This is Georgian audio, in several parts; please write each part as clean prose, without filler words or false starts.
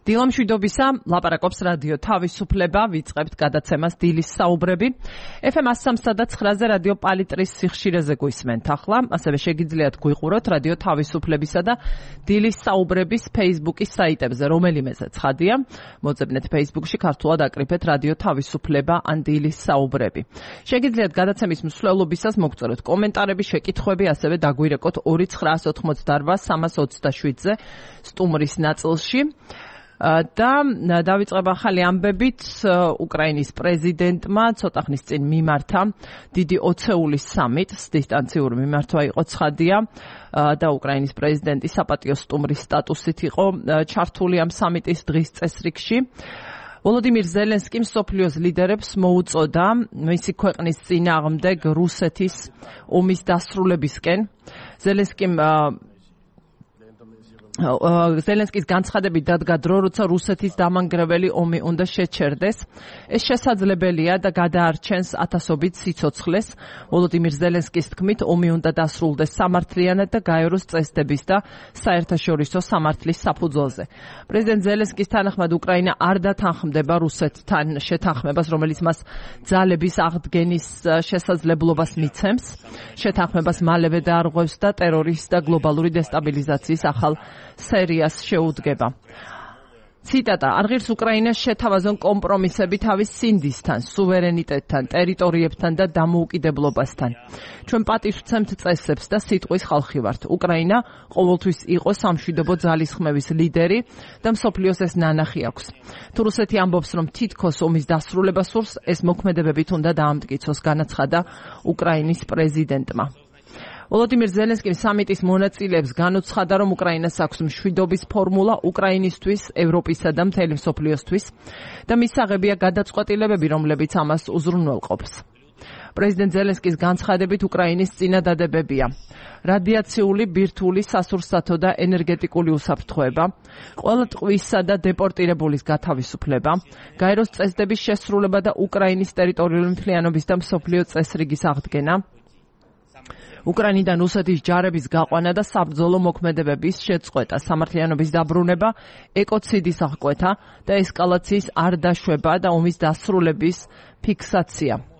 დილა მშვიდობისა, ლაპარაკობს რადიო თავისუფლება, ვიწყებთ გადაცემას დილის საუბრები. FM 103.9-ზე რადიო პალიტრის სიხშირეზე გვისმენთ ახლა, ასევე შეგიძლიათ გვიყუროთ რადიო თავისუფლებისა და დილის საუბრების Facebook-ის საიტებზე, რომელიმეზე ცხადია. მოძებნეთ Facebook-ში ქართულად აკრიფეთ რადიო თავისუფლება ან დილის საუბრები. შეგიძლიათ გადაცემის მსვლელობისას მოგწეროთ კომენტარები, შეკითხვები, ასევე დაგვირეკოთ 2988-327-ზე სტუმრის ნაწილში. და დავიწყებ ახალი ამბებით. უკრაინის პრეზიდენტმა ცოტა ხნის წინ მიმართა დიდი ოცეულის სამიტს, დისტანციური მიმართვა იყო ცხადია და უკრაინის პრეზიდენტი საპატიო სტუმრის სტატუსით იყო ჩართული ამ სამიტის დღის წესრიგში. ვოლოდიმირ ზელენსკიმ მსოფლიოს ლიდერებს მოუწოდა მისი ქვეყნის წინააღმდეგ რუსეთის ომის დასრულებისკენ. ზელენსკის განცხადებით დადგა დრო, როცა რუსეთის დამანგრეველი ომი უნდა შეჩერდეს. ეს შესაძლებელია და გადაარჩენს ათასობით სიცოცხლეს. ვოლოდიმირ ზელენსკის თქმით, ომი უნდა დასრულდეს სამართლიანად და გაეროს წესდების და საერთაშორისო სამართლის საფუძველზე. პრეზიდენტ ზელენსკის თანახმად უკრაინა არ დათანხმდება რუსეთთან შეთანხმებას, რომელიც მას ძალების აღდგენის შესაძლებლობას მიცემს. შეთანხმებას მალევე დაარღვევს და ტერორის და გლობალური დესტაბილიზაციის ახალ სერიას შეუდგება. ციტატა: არ ღირს უკრაინას შეთავაზონ კომპრომისები თავის სინდისთან, სუვერენიტეტთან, ტერიტორიებთან და დამოუკიდებლობასთან. ჩვენ პატივს ვცემთ წესებს და სიტყვის ხალხი ვართ. უკრაინა ყოველთვის იყო სამშვიდობო ძალისხმევის ლიდერი და მსოფლიოს ეს ნანახი აქვს. თუ რუსეთი ამბობს, რომ თითქოს ომის დასრულება სურს, ეს მოქმედებებით უნდა დაამტკიცოს, განაცხადა უკრაინის პრეზიდენტმა. ვოლოდიმირ ზელენსკიმ სამიტის მონაწილეებს განუცხადა, რომ უკრაინას აქვს მშვიდობის ფორმულა უკრაინისთვის, ევროპისა და მთელი მსოფლიოსთვის და მისაღებია გადაწყვეტილებები, რომლებიც ამას უზრუნველყოფს. პრეზიდენტ ზელენსკის განცხადებით უკრაინის წინადადებებია: რადიაციული, ბირთვული, სასურსათო და ენერგეტიკული უსაფრთხოება, ყველა ტყვისა და დეპორტირებულის გათავისუფლება, გაეროს წესდების შესრულება და უკრაინის ტერიტორიული მთლიანობის და მსოფლიო წესრიგის აღდგენა, უკრაინიდან რუსეთის ჯარების გაყვანა და საბრძოლო მოქმედებების შეწყვეტა, სამართლიანობის დაბრუნება, ეკოციდის აღკვეთა და ესკალაციის არ დაშვება და ომის დასრულების ფიქსაცია.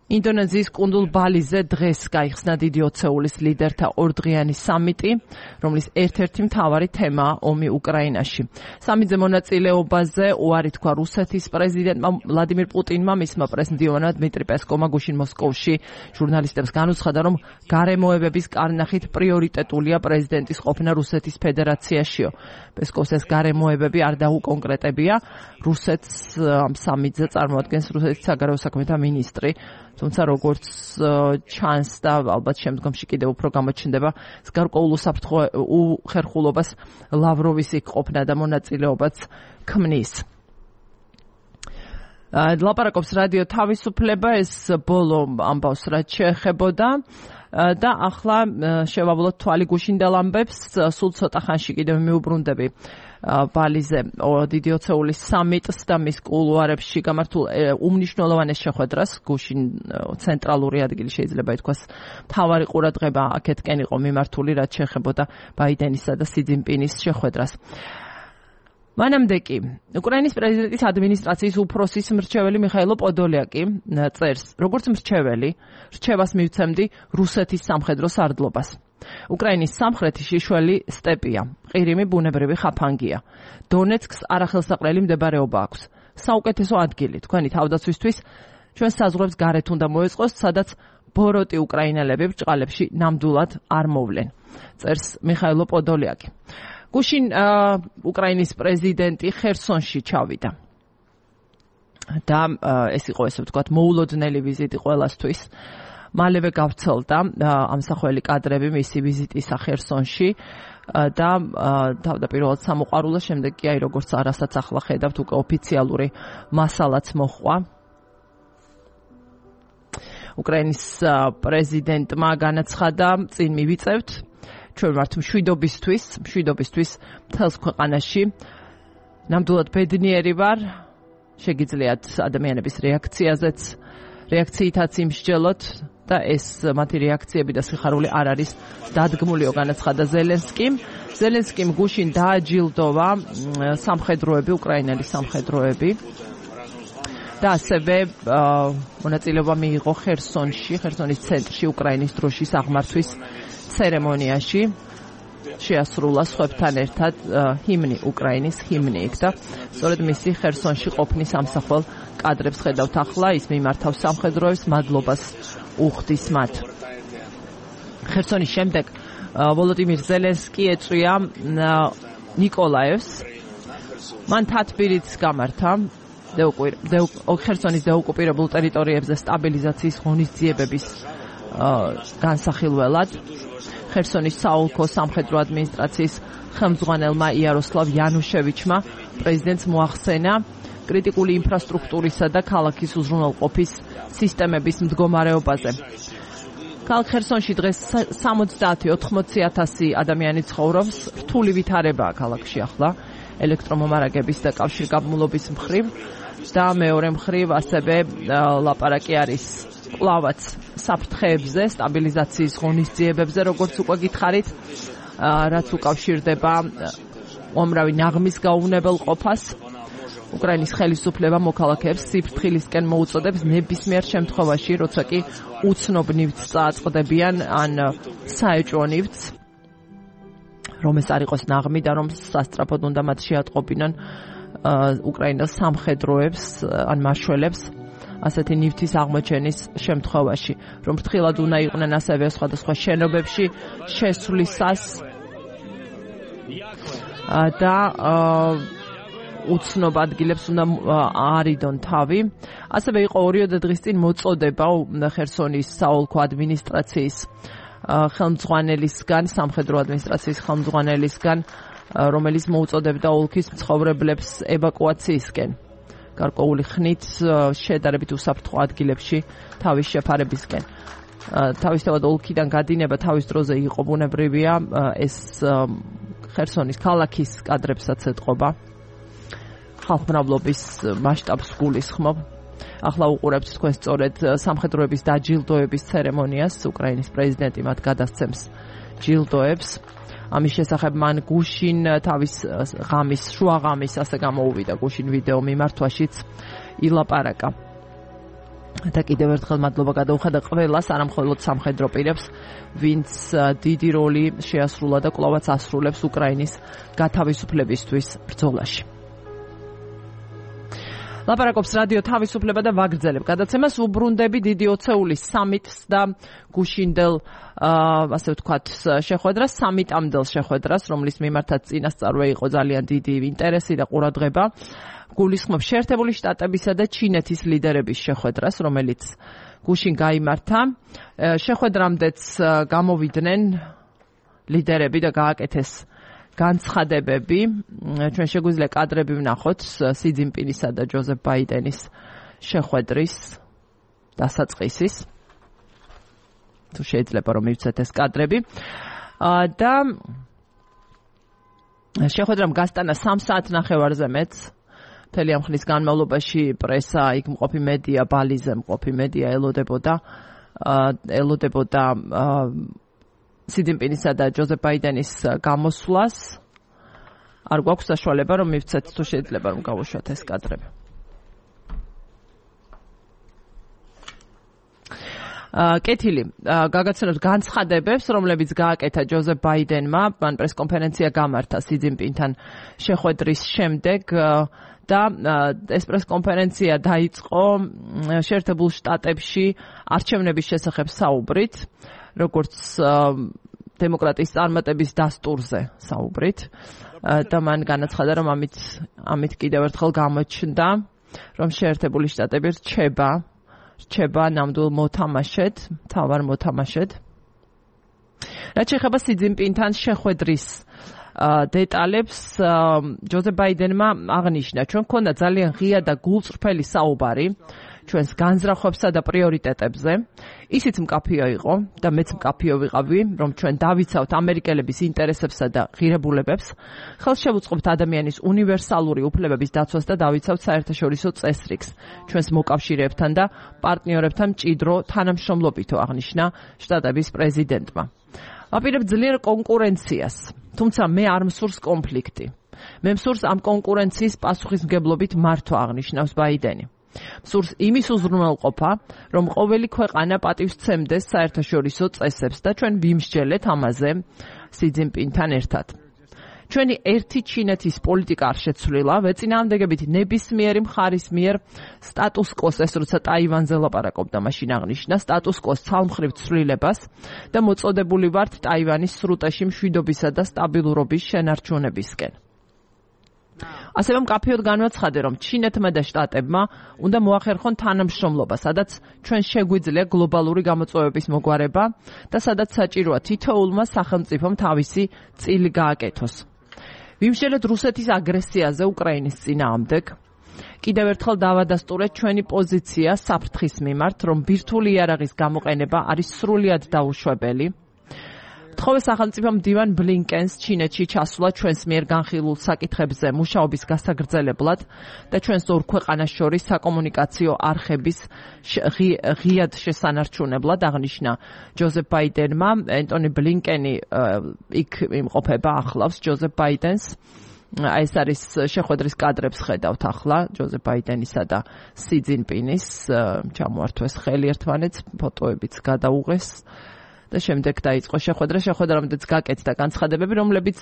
ინდონეზიის კუნძულ ბალიზე დღეს გაიხსნა დიდი ოცეულის ლიდერთა ორდღიანი სამიტი, რომლის ერთ-ერთი მთავარი თემაა ომი უკრაინაში. სამიტზე მონაწილეობაზე უარი თქვა რუსეთის პრეზიდენტმა ვლადიმირ პუტინმა, მისმა პრეზიდენტმა დმიტრი პესკოვმა გუშინ მოსკოვში ჟურნალისტებს განუცხადა, რომ გარემოებების კარნახით პრიორიტეტულია პრეზიდენტის ყოფნა რუსეთის ფედერაციაშიო. პესკოვს ეს გარემოებები არ დაუკონკრეტებია. რუსეთს ამ სამიტზე წარმოადგენს რუსეთის საგარეო საქმეთა მინისტრი. თუმცა როგორც ჩანს და ალბათ შემდგომში კიდევ უფრო გამოჩნდება, გარკვეულ უხერხულობას ლავროვის იქ ყოფნა და მონაწილეობაც ქმნის. ლაპარაკობს რადიო თავისუფლება, ეს ბოლო ამბავს რაც შეეხებოდა და ახლა შევავლოთ თვალი გუშინდელ ამბებს. სულ ცოტა ხანში კიდევ მიუბრუნდები ბალიზე დიდი ოცეულის სამიტს და მის კულუარებში გამართულ უმნიშვნელოვანეს შეხვედრას. გუშინ ცენტრალური ადგილი შეიძლება ითქვას მთავარი ყურადღება აქეთკენ იყო მიმართული, რაც შეეხებოდა ბაიდენისა და სი ძინპინის შეხვედრას. მანამდე კი უკრაინის პრეზიდენტის ადმინისტრაციის უფროსის მრჩეველი მიხაილო პოდოლიაკი წერს, როგორც მრჩეველი, რჩევას მივცემდი რუსეთის სამხედრო სარდლობას. უკრაინის სამხრეთი შიშველი სტეპია, ყირიმი ბუნებრივი ხაფანგია. დონეცკს არახელსაყრელი მდებარეობა აქვს. საუკეთესო ადგილი თქვენი თავდაცვისთვის ჩვენ საზღვრებს გარეთ უნდა მოეწყოს, სადაც ბოროტი უკრაინელები ბრჭყალებში ნამდვილად არ მოვლენ. წერს მიხაილო პოდოლიაკი. გუშინ უკრაინის პრეზიდენტი ხერსონში ჩავიდა. და ეს იყო ესე ვთქვათ მოულოდნელი ვიზიტი ყველასთვის. მალევე გავრცელდა ამსახველი კადრები მისი ვიზიტისა ხერსონში და თავდაპირველად სამოყვარულო, შემდეგ კი აი როგორც არასაც ახლა ხედავთ უკვე ოფიციალური მასალაც მოჰყვა. უკრაინის პრეზიდენტმა განაცხადა, წინ მივიწევთ, ჩვენ ვართ მშვიდობისთვის მთელს ქვეყანაში. ნამდვილად ბედნიერი ვარ, შეგიძლიათ ადამიანების რეაქციითაც იმსჯელოთ და ეს მათი რეაქციები და სიხარული არ არის დადგმულიო, განაცხადა ზელენსკიმ. ზელენსკიმ გუშინ დააჯილდოვა სამხედროები, უკრაინელი სამხედროები და ასევე მონაწილეობა მიიღო ხერსონის ცენტრში უკრაინის დროშის აღმართვის ცერემონიაში. შეასრულა სხვებთან ერთად ჰიმნი, უკრაინის ჰიმნი იქ და სწორედ მისი ხერსონში ყოფნის ამსახველ კადრებს ხედავთ ახლა, ის მიმართავს სამხედროებს, მადლობას უხდის მათ. ხერსონის შემდეგ ვოლოდიმირ ზელენსკი ეწვია ნიკოლაევს. მან თათბირით გამართა ხერსონის დაოკუპირებულ ტერიტორიებზე სტაბილიზაციის ღონისძიებების განსახილველად. ხერსონის საოლქო სამხედრო ადმინისტრაციის ხელმძღვანელმა იაროსლავ იანუშევიჩმა პრეზიდენტს მოახსენა კრიტიკული ინფრასტრუქტურისა და ქალაქის უზრუნველყოფის სისტემების მდგომარეობაზე. ქალაქ ხერსონში დღეს 70-80,000 ადამიანი ცხოვრობს, რთული ვითარებაა ქალაქში ახლა ელექტრომომარაგების და კავშირგაბმულობის მხრივ და მეორე მხრივ ასევე ლაპარაკი არის კლავაც საფრთხეებზე, სტაბილიზაციის ღონისძიებებზე, როგორც უკვე გითხარით, რაც უკავშირდება უამრავი ნაღმის გაუვნებელ ყოფას. უკრაინის ხელისუფლება მოქალაქეებს სიფრთხილისკენ მოუწოდებს ნებისმიერ შემთხვევაში, როცა კი უცნობ ნივთს წააწყდებიან ან საეჭვო ნივთს, რომ ეს არ იყოს ნაღმი და რომ სასწრაფოდ უნდა მათ შეატყობინონ უკრაინას სამხედროებს ან მაშველებს ასეთი ნივთის აღმოჩენის შემთხვევაში, რომ ფრთხილად უნდა იყვნენ ასევე სხვადასხვა შენობებში შესვლისას და უცნობ ადგილებს უნდა არიდონ თავი. ასევე იყო 2 დღის წინ მოწოდება ხერსონის საოლქო ადმინისტრაციის ხელმძღვანელისგან, სამხედრო ადმინისტრაციის ხელმძღვანელისგან, რომელიც მოუწოდებდა ოლქის მცხოვრებლებს ევაკუაციისკენ. გარკვეული ხნით შედარებით უსაფრთხო ადგილებში თავის შეფარებისკენ. თავისთავად ოლქიდან გადინება თავის დროზე იყო ბუნებრივია, ეს ხერსონის ქალაქის კადრებსაც ეტყობა. ხალხმრავლობის მასშტაბს გულისხმობ. ახლა უყურებთ თქვენ სწორედ სამხედროების დაჯილდოების ცერემონიას, უკრაინის პრეზიდენტი მათ გადასცემს ჯილდოებს. ამის შესახებ მან გუშინ თავის ღამის, შუა ღამის ასე გამოუვიდა გუშინ ვიდეო მიმართვაშიც ილაპარაკა. და კიდევ ერთხელ მადლობა გადაუხადა ყველას, არამხოლოდ სამხედრო პირებს, ვინც დიდი როლი შეასრულა და კვლავაც ასრულებს უკრაინის გათავისუფლებისთვის ბრძოლაში. ლაპარაკობს რადიო თავისუფლება და ვაგრძელებ გადაცემას. უბრუნდები დიდი ოცეულის სამიტს და გუშინდელ ასე ვთქვათ შეხვედრას, სამიტამდელ შეხვედრას, რომლის მიმართაც წინასწარვე იყო ძალიან დიდი ინტერესი და ყურადღება. გულისხმობ შეერთებული შტატებისა და ჩინეთის ლიდერების შეხვედრას, რომელიც გუშინ გაიმართა. შეხვედრამდეც გამოვიდნენ ლიდერები და გააკეთეს განცხადებები. ჩვენ შეგვიძლია კადრები ვნახოთ სი ძინპინისა და ჯოზეფ ბაიდენის შეხვედრის დასაწყისის. თუ შეიძლება რომ მივცეთ ეს კადრები. და შეხვედრამ გასტანა 3 საათნახევარზე მეც. მთელი ამ ხნის განმავლობაში პრესა, იქ მყოფი მედია, ბალიზე მყოფი მედია ელოდებოდა სი ძინპინისა და ჯოზეფ ბაიდენის გამოსვლას. არ გვაქვს საშუალება რომ მივცეთ, თუ შეიძლება რომ გავუშვათ ეს კადრები. კეთილი, გაგაცნოთ განცხადებებს, რომლებიც გააკეთა ჯოზეფ ბაიდენმა, მან პრესკონფერენცია გამართა სი ძინპინთან შეხვედრის შემდეგ და ეს პრესკონფერენცია დაიწყო შეერთებულ შტატებში არჩევნების შესახებ საუბრით, როგორც დემოკრატიის წარმატების დასტურზე საუბრით და მან განაცხადა, რომ ამით კიდევ ერთხელ გამოჩნდა, რომ შეერთებული შტატები რჩება ნამდვილ მოთამაშედ, მთავარ მოთამაშედ. რაც შეეხება სი ძინპინთან შეხვედრის დეტალებს, ჯოზეფ ბაიდენმა აღნიშნა, ჩვენ გქონდა ძალიან ღია და გულწრფელი საუბარი ჩვენს განზრახვებსა და პრიორიტეტებზე. ისიც მკაფიო იყო და მეც მკაფიო ვიყავი, რომ ჩვენ დავიცავთ ამერიკელების ინტერესებსა და ღირებულებებს, ხელს შევუწყობთ ადამიანის უნივერსალური უფლებების დაცვას და დავიცავთ საერთაშორისო წესრიგს ჩვენს მოკავშირეებთან და პარტნიორებთან მჭიდრო თანამშრომლობითო, აღნიშნა შტატების პრეზიდენტმა. ვაპირებ ძლიერ კონკურენციას, თუმცა მე არ მსურს კონფლიქტი. მე მსურს ამ კონკურენციის პასუხისმგებლობით მართვა, აღნიშნავს ბაიდენი. მსურს იმის უზრუნველყოფა, რომ ყოველი ქვეყანა პატივსცემდეს საერთაშორისო წესებს და ჩვენ ვიმსჯელეთ ამაზე სი ძინპინთან ერთად. ჩვენი ერთი ჩინეთის პოლიტიკა არ შეცვლილა, ვეწინააღმდეგებით ნებისმიერი მხარის მიერ სტატუს კოს, ეს როცა ტაივანზე ლაპარაკობდა, მაშინ აღნიშნა სტატუს კოს ცალმხრივ ცვლილებას და მოწოდებული ვართ ტაივანის სრუტეში მშვიდობისა და სტაბილურობის შენარჩუნებისკენ. ასევე მკაფიოდ განვაცხადე, რომ ჩინეთმა და შტატებმა უნდა მოახერხონ თანამშრომლობა, სადაც ჩვენ შეგვიძლია გლობალური გამოწვევების მოგვარება და სადაც საჭიროა თითოეულმა სახელმწიფომ თავისი წილი გააკეთოს. ვიმსჯელეთ რუსეთის აგრესიაზე უკრაინის წინააღმდეგ. კიდევ ერთხელ დავადასტურეთ ჩვენი პოზიცია საფრთხის მიმართ, რომ ბირთვული იარაღის გამოყენება არის სრულიად დაუშვებელი. თხოვე სახელმწიფო მდივან ბლინკენს ჩინეთში ჩასვლა ჩვენს მიერ განხილულ საკითხებზე მუშაობის გასაგრძელებლად და ჩვენს ორ ქვეყანას შორის საკომუნიკაციო არხების ღიად შესანარჩუნებლად, აღნიშნა ჯოზეფ ბაიდენმა. ენტონი ბლინკენი იქ იმყოფება, ახლავს ჯოზეფ ბაიდენს. ეს არის შეხვედრის კადრებს ხედავთ ახლა, ჯოზეფ ბაიდენისა და სი ძინპინის ჩამოართვეს ხელი ერთმანეთს, ფოტოებიც გადაუღეს. და შემდეგ დაიწყო შეხვედრა, რომლითაც გაკეთდა განცხადებები, რომლებიც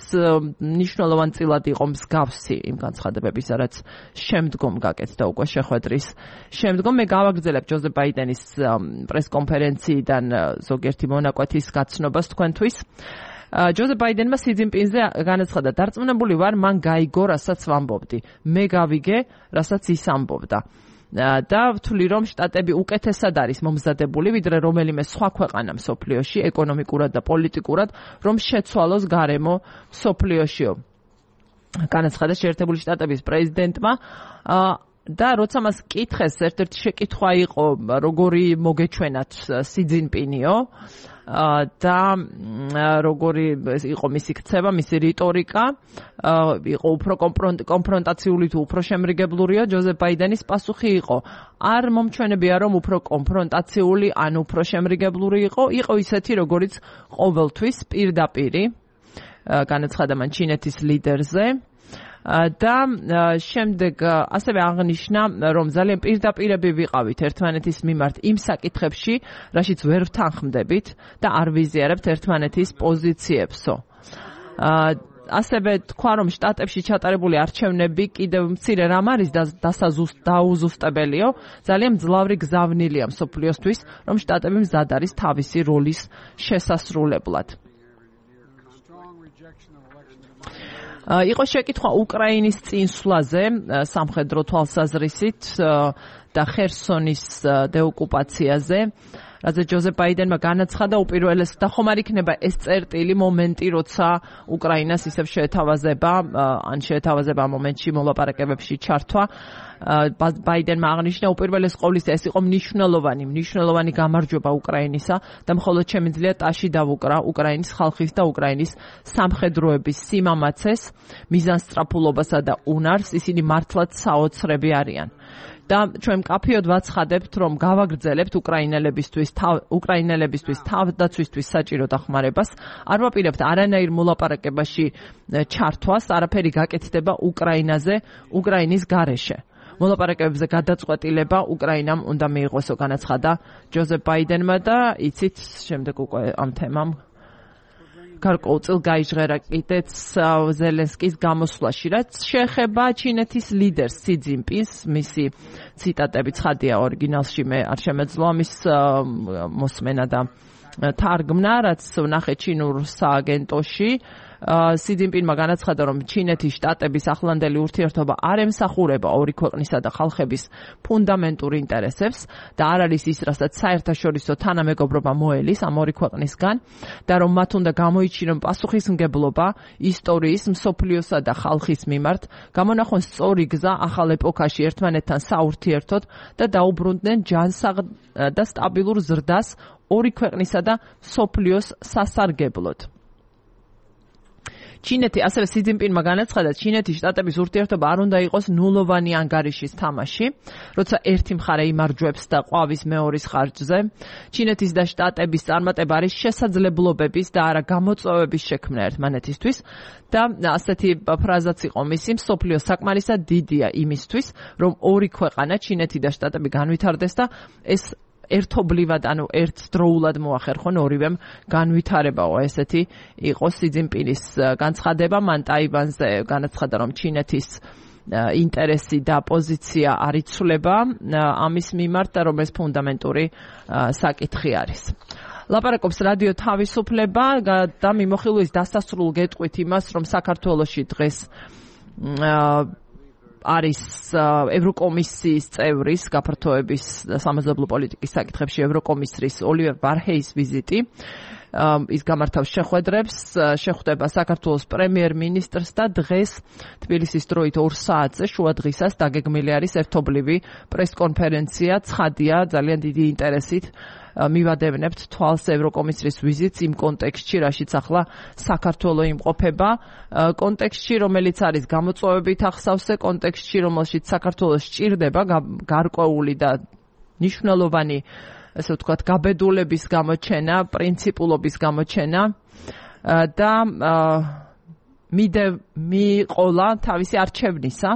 მნიშვნელოვანწილად იყო მსგავსი იმ განცხადებებისა, რაც შემდგომ გაკეთდა უკვე შეხვედრის შემდგომ. მე გავაგრძელებ ჯოზეფ ბაიდენის პრესკონფერენციიდან ზოგიერთი მონაკვეთის გაცნობას თქვენთვის. ჯოზეფ ბაიდენმა სი ძინპინზე განაცხადა, დარწმუნებული ვარ, მან გაიგო, რასაც ვამბობდი. მე გავიგე, რასაც ის ამბობდა. და ვთვლი, რომ შტატები უკეთესად არის მომზადებული, ვიდრე რომელიმე სხვა ქვეყანა მსოფლიოში, ეკონომიკურად და პოლიტიკურად, რომ შეცვალოს გარემო მსოფლიოშიო. განაცხადა შეერთებული შტატების პრეზიდენტმა და როცა მას კითხეს, ერთ-ერთი შეკითხვა იყო, როგორი მოგეჩვენათ სი ძინპინიო და როგორი იყო მისი ქცევა, მისი რიტორიკა, იყო უფრო კონფრონტაციული თუ უფრო შემრიგებლურია. ჯოზეფ ბაიდენის პასუხი იყო, არ მომჩვენებია, რომ უფრო კონფრონტაციული ან უფრო შემრიგებლური იყო ისეთი, როგორიც ყოველთვის პირდაპირი, განაცხადა მან ჩინეთის ლიდერზე. და შემდეგ ასევე აღნიშნა, რომ ძალიან პირდაპირები ვიყავით ერთმანეთის მიმართ იმ საკითხებში, რაშიც ვერ ვთანხმდებით და არ ვიზიარებთ ერთმანეთის პოზიციებსო. ასევე თქვა, რომ შტატებში ჩატარებული არჩევნები კიდევ მცირე რამ არის დაუზუსტებელიო, ძალიან მძლავრი გზავნილია მსოფლიოსთვის, რომ შტატები მზად არის თავისი როლის შესასრულებლად. იყო შეკითხვა უკრაინის წინსვლაზე სამხედრო თვალსაზრისით და ხერსონის დეოკუპაციაზე, რადგან ჯოზეფ ბაიდენმა განაცხადა, უპირველეს და ხომ არ იქნება ეს წერტილი მომენტი, როცა უკრაინას ისევ შეეთავაზება მომენტში მოლაპარაკებებში ჩართვა. ბაიდენმა აღნიშნა, უპირველეს ყოვლისა ეს იყო მნიშვნელოვანი გამარჯვება უკრაინისა და მხოლოდ შემიძლია ტაში დავუკრა უკრაინის ხალხის და უკრაინის სამხედროების სიმამაცეს, მიზანსწრაფულობასა და უნარს, ისინი მართლაც საოცრები არიან. და ჩვენ მკაფიოდ ვაცხადებთ, რომ გავაგრძელებთ უკრაინელებისთვის თავდაცვისთვის საჭირო დახმარებას, არ ვაპირებთ არანაირ მოლაპარაკებაში ჩართვას, არაფერი გაკეთდება უკრაინაზე, უკრაინის გარეშე. მოლაპარაკებებზე გადაწყვეტილება უკრაინამ უნდა მიიღოსო, განაცხადა ჯოზეფ ბაიდენმა და იცით, შემდეგ უკვე ამ თემამ გარკვეულწილ გაიჟღერა კიდეც ზელენსკის გამოსვლაში, რაც შეეხება ჩინეთის ლიდერს სი ძინპინს, მისი ციტატები ცხადია ორიგინალში, მე არ შემეძლო ამის მოსმენა და თარგმნა, რაც ვნახე ჩინურ სააგენტოში. სი ძინპინმა განაცხადა, რომ ჩინეთის შტატების ახლანდელი ურთიერთობა არ ემსახურება ორი ქვეყნისა და ხალხების ფუნდამენტურ ინტერესებს და არ არის ის, რასაც საერთაშორისო თანამეგობრობა მოელის ამ ორი ქვეყნისგან და რომ მათ უნდა გამოიჩინონ პასუხისმგებლობა ისტორიის, მსოფლიოსა და ხალხის მიმართ, გამონახონ სწორი გზა ახალ ეპოქაში ერთმანეთთან საურთიერთოდ და დაუბრუნდნენ ჯანსაღ და სტაბილურ ზრდას ორი ქვეყნისა და მსოფლიოს სასარგებლოდ. ჩინეთი ასევე სი ძინპინმა განაცხადა, ჩინეთის შტატების ურთიერთობა არ უნდა იყოს ნულოვანი ანგარიშის თამაში, როცა ერთი მხარე იმარჯვებს და ყვავის მეორის ხარჯზე. ჩინეთის და შტატების წარმატება არის შესაძლებლობების და არა გამოწვევების შექმნა ერთმანეთისთვის და ასეთი ფრაზაც იყო მისი, მსოფლიო საკმარისად დიდია იმისთვის, რომ ორი ქვეყანა, ჩინეთი და შტატები განვითარდეს და ეს ერთობლივად, ანუ ერთდროულად მოახერხონ ორივემ განვითარებაო. ესეთი იყო სი ძინპინის განცხადება. მან ტაივანზე განაცხადა, რომ ჩინეთის ინტერესი და პოზიცია არ იცვლება ამის მიმართ და რომ ეს ფუნდამენტური საკითხი არის. ლაპარაკობს რადიო თავისუფლება და მიმოხილვის დასასრულ გეტყვით იმას, რომ საქართველოში დღეს არის ევროკომისიის წევრის გაფართოების სამეზობლო პოლიტიკის საკითხებში ევროკომისრის ოლივერ ვარჰეის ვიზიტი. ის გამართავს შეხვედრებს, შეხვდება საქართველოს პრემიერ-მინისტრს და დღეს თბილისის დროით 2 საათზე შუა დღისას დაგეგმილი არის ერთობლივი პრესკონფერენცია. ცხადია, ძალიან დიდი ინტერესით მივადევნებთ თვალს ევროკომისრის ვიზიტს იმ კონტექსტში, რაშიც ახლა საქართველო იმყოფება, კონტექსტში, რომელიც არის გამოწვევებით ახსავსე, კონტექსტში, რომელშიც საქართველოს სჭირდება გარკვეული და მნიშვნელოვანი, ესე ვთქვათ, გაბედულების გამოჩენა, პრინციპულობის გამოჩენა და მიყოლა თავისი არჩევნისა,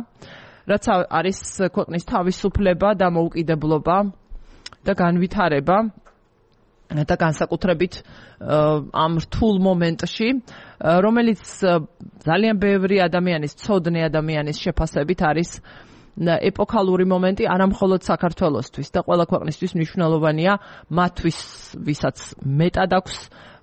რაც არის ქვეყნის თავისუფლება და მოუკიდებლობა და განვითარება და განსაკუთრებით ამ რთულ მომენტში, რომელიც ძალიან ბევრი ადამიანის, ცოდნე ადამიანის შეფასებით არის ეპოქალური მომენტი არამხოლოდ საქართველოსთვის და ყველა ქვეყნისთვის მნიშვნელოვანია მათთვის, ვისაც მეტად აქვს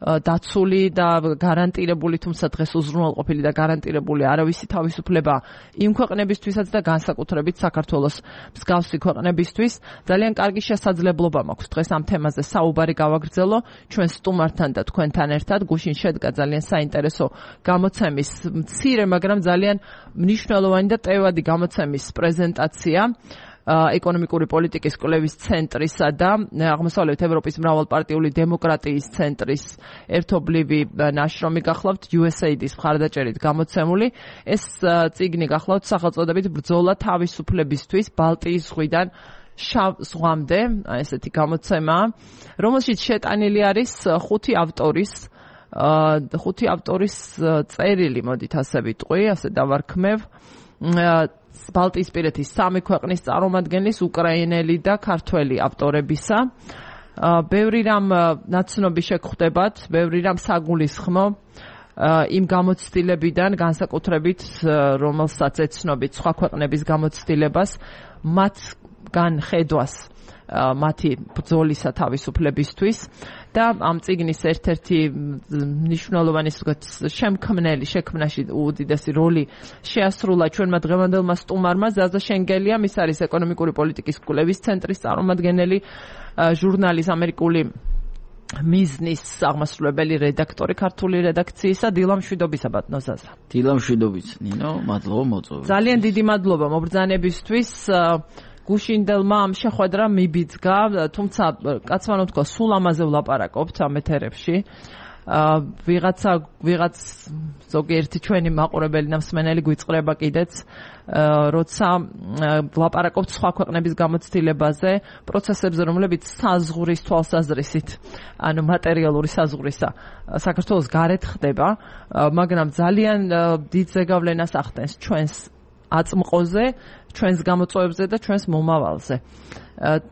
დაცული და გარანტირებული, თუმცა დღეს უზრუნველყოფილი და გარანტირებული არავისი თავისუფლება იმ ქვეყნებისთვისაც და განსაკუთრებით საქართველოს მსგავსი ქვეყნებისთვის. ძალიან კარგი შესაძლებლობა მაქვს დღეს ამ თემაზე საუბარი გავაგრძელო ჩვენ სტუმართან და თქვენთან ერთად. გუშინ შედგა ძალიან საინტერესო გამოცემის მცირე, მაგრამ ძალიან მნიშვნელოვანი და ტევადი გამოცემის პრეზენტაცია ეკონომიკური პოლიტიკის კვლევის ცენტრისა და აღმოსავლეთ ევროპის მრავალპარტიული დემოკრატიის ცენტრის ერთობლივი ნაშრომი გახლავთ USAID-ის მხარდაჭერით გამოცემული. ეს წიგნი გახლავთ სახელწოდებით ბრძოლა თავისუფლებისთვის ბალტიის ზღვიდან შავ ზღვამდე, ესეთი გამოცემა, რომელშიც შეტანილი არის 5 ავტორის წერილი, მოდით ასე ვიტყვი, ასე დავარქმევ. ბალტიისპირეთის 3 ქვეყნის წარმომადგენლის, უკრაინელი და ქართველი ავტორებისა. ბევრი რამ ნაცნობი შეგხვდებათ, ბევრი რამ საგულისხმო იმ გამოცდილებიდან, განსაკუთრებით რომელსაც ეცნობით სხვა ქვეყნების გამოცდილებას, მათგან ხედვას მათი ბრძოლისა თავისუფლებისთვის და ამ წიგნის ერთ-ერთი მნიშვნელოვანი შემქმნელი შექმნაში უდიდესი როლი შეასრულა ჩვენმა დღევანდელმა სტუმარმა ზაზა შენგელიამ. ის არის ეკონომიკური პოლიტიკის კვლევის ცენტრის წარმომადგენელი, ჟურნალის ამერიკული მიზნის აღმასრულებელი რედაქტორი ქართული რედაქციისა. დილა მშვიდობისა ბატონო ზაზა. დილა მშვიდობით ნინო, მადლობა მოწვევით. ძალიან დიდი მადლობა მობრძანებისთვის. გუშინდელმა ამ შეხვედრა მიბიძგა, თუმცა კაცმა თქვა სულ ამაზე ვლაპარაკობთ ამ ეთერებში. ვიღაც ზოგიერთი ჩვენი მაყურებელი და მსმენელი გვიწყრება კიდეც, როცა ვლაპარაკობთ სხვა ქვეყნების გამოცდილებაზე, პროცესებზე, რომლებიც საზღვრის თვალსაზრისით, ანუ მატერიალური საზღვრისა საქართველოს გარეთ ხდება, მაგრამ ძალიან დიდ ზეგავლენას ახდენს ჩვენს აწმყოზე, ჩვენს გამოწვევებზე და ჩვენს მომავალზე.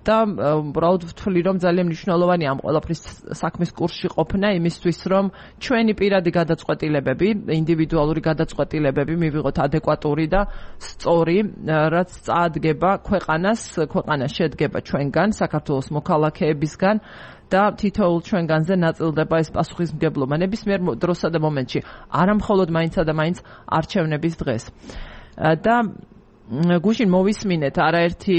და უბრალოდ ვთვლი, რომ ძალიან მნიშვნელოვანია ამ ყველაფრის საქმის კურსში ყოფნა იმისთვის, რომ ჩვენი პირადი გადაწყვეტილებები, ინდივიდუალური გადაწყვეტილებები მივიღოთ ადეკვატური და სწორი, რაც წაადგება ქვეყანა შედგება ჩვენგან, საქართველოს მოქალაქეებისგან და თითოეულ ჩვენგანზე ნაწილდება ეს პასუხისმგებლობა ნებისმიერ დროსა და მომენტში, არა მხოლოდ მაინცსა და მაინც არჩევნების დღეს. და გუშინ მოვისმინეთ არაერთი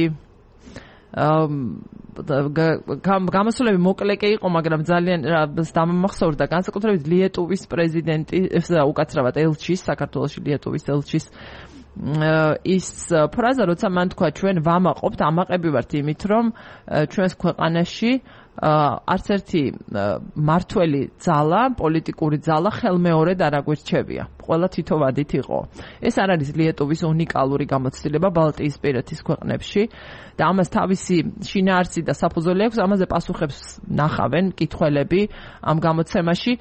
გამოსვლები მოკლე კი იყო, მაგრამ ძალიან დამამახსოვრდა განსაკუთრებით ლიეტუვის პრეზიდენტი, უკაცრავად ელჩის, საქართველოში ლიეტუვის ელჩის ის ფრაზა, როცა მან თქვა ჩვენ ვამაყობთ, ამაყები ვართ იმით, რომ ჩვენს ქვეყანაში არც ერთი მართველი ძალა, პოლიტიკური ძალა ხელმეორედ არ აგვირჩევია. ყველა თითოვადით იყო. ეს არ არის ლიეტუვის უნიკალური გამოცდილება ბალტიისპირეთის ქვეყნებში და ამას თავისი შინაარსი და საფუძველი აქვს, ამაზე პასუხებს ნახავენ მკითხველები ამ გამოცემაში.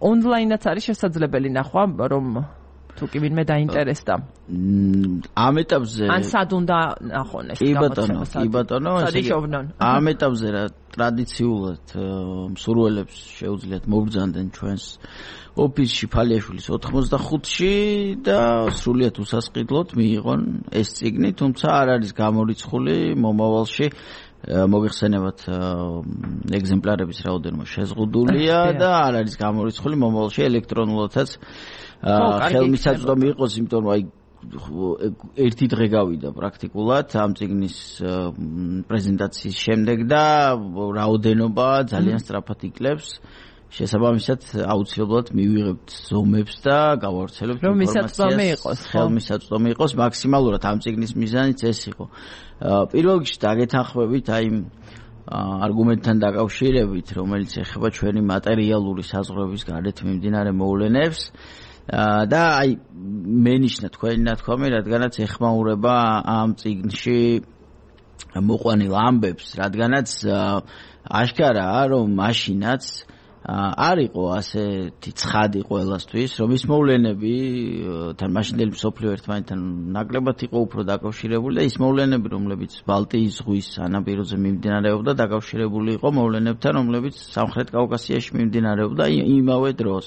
ონლაინაც არის შესაძლებელი ნახვა, რომ თუ კი ვინმე დაინტერესდა. ამ ეტაპზე ან სად უნდა ნახონ ეს გამოცემა? კი ბატონო, ამ ეტაპზე რა ტრადიციულად მსურველებს შეუძლიათ მობრძანდნენ ჩვენს ოფისში ფალიაშვილის 85-ში და სრულიად უსასყიდლოდ მიიღონ ეს წიგნი, თუმცა არ არის გამორიცხული მომავალში მოგეხსენებათ ეგზემპლარების რაოდენობა შეზღუდულია და არ არის გამორიცხული მომავალში ელექტრონულადაც ხელმისაწვდომი იყოს, იმიტომ რომ აი ერთი დღე გავიდა პრაქტიკულად ამ წიგნის პრეზენტაციის შემდეგ და რაოდენობა ძალიან სწრაფად იკლებს. შესაბამისად აუცილებლად მივიღებთ ზომებს და გავავრცელებთ ინფორმაციას. ხელმისაწვდომი იყოს მაქსიმალურად ამ წიგნის მიზანიც ეს იყო. პირველ რიგში დაგეთანხმებით აი იმ არგუმენტთან დაკავშირებით, რომელიც ეხება ჩვენი მატერიალური საზღვრების გარეთ მიმდინარე მოვლენებს და აი მენიშნა თქვენი ნათქვამი, რადგანაც ეხმაურება ამ წიგნში მოყვანილ ამბებს, რადგანაც აშკარაა, რომ მაშინაც არ იყო ასეთი ცხადი ყველასთვის, რომ ის მოვლენები თან მაშინდელი მსოფლიო ერთმანეთთან ნაკლებად იყო უფრო დაკავშირებული და ის მოვლენები, რომლებიც ბალტიის ზღვის სანაპიროზე მიმდინარეობდა, დაკავშირებული იყო მოვლენებთან, რომლებიც სამხრეთ კავკასიაში მიმდინარეობდა იმავე დროს.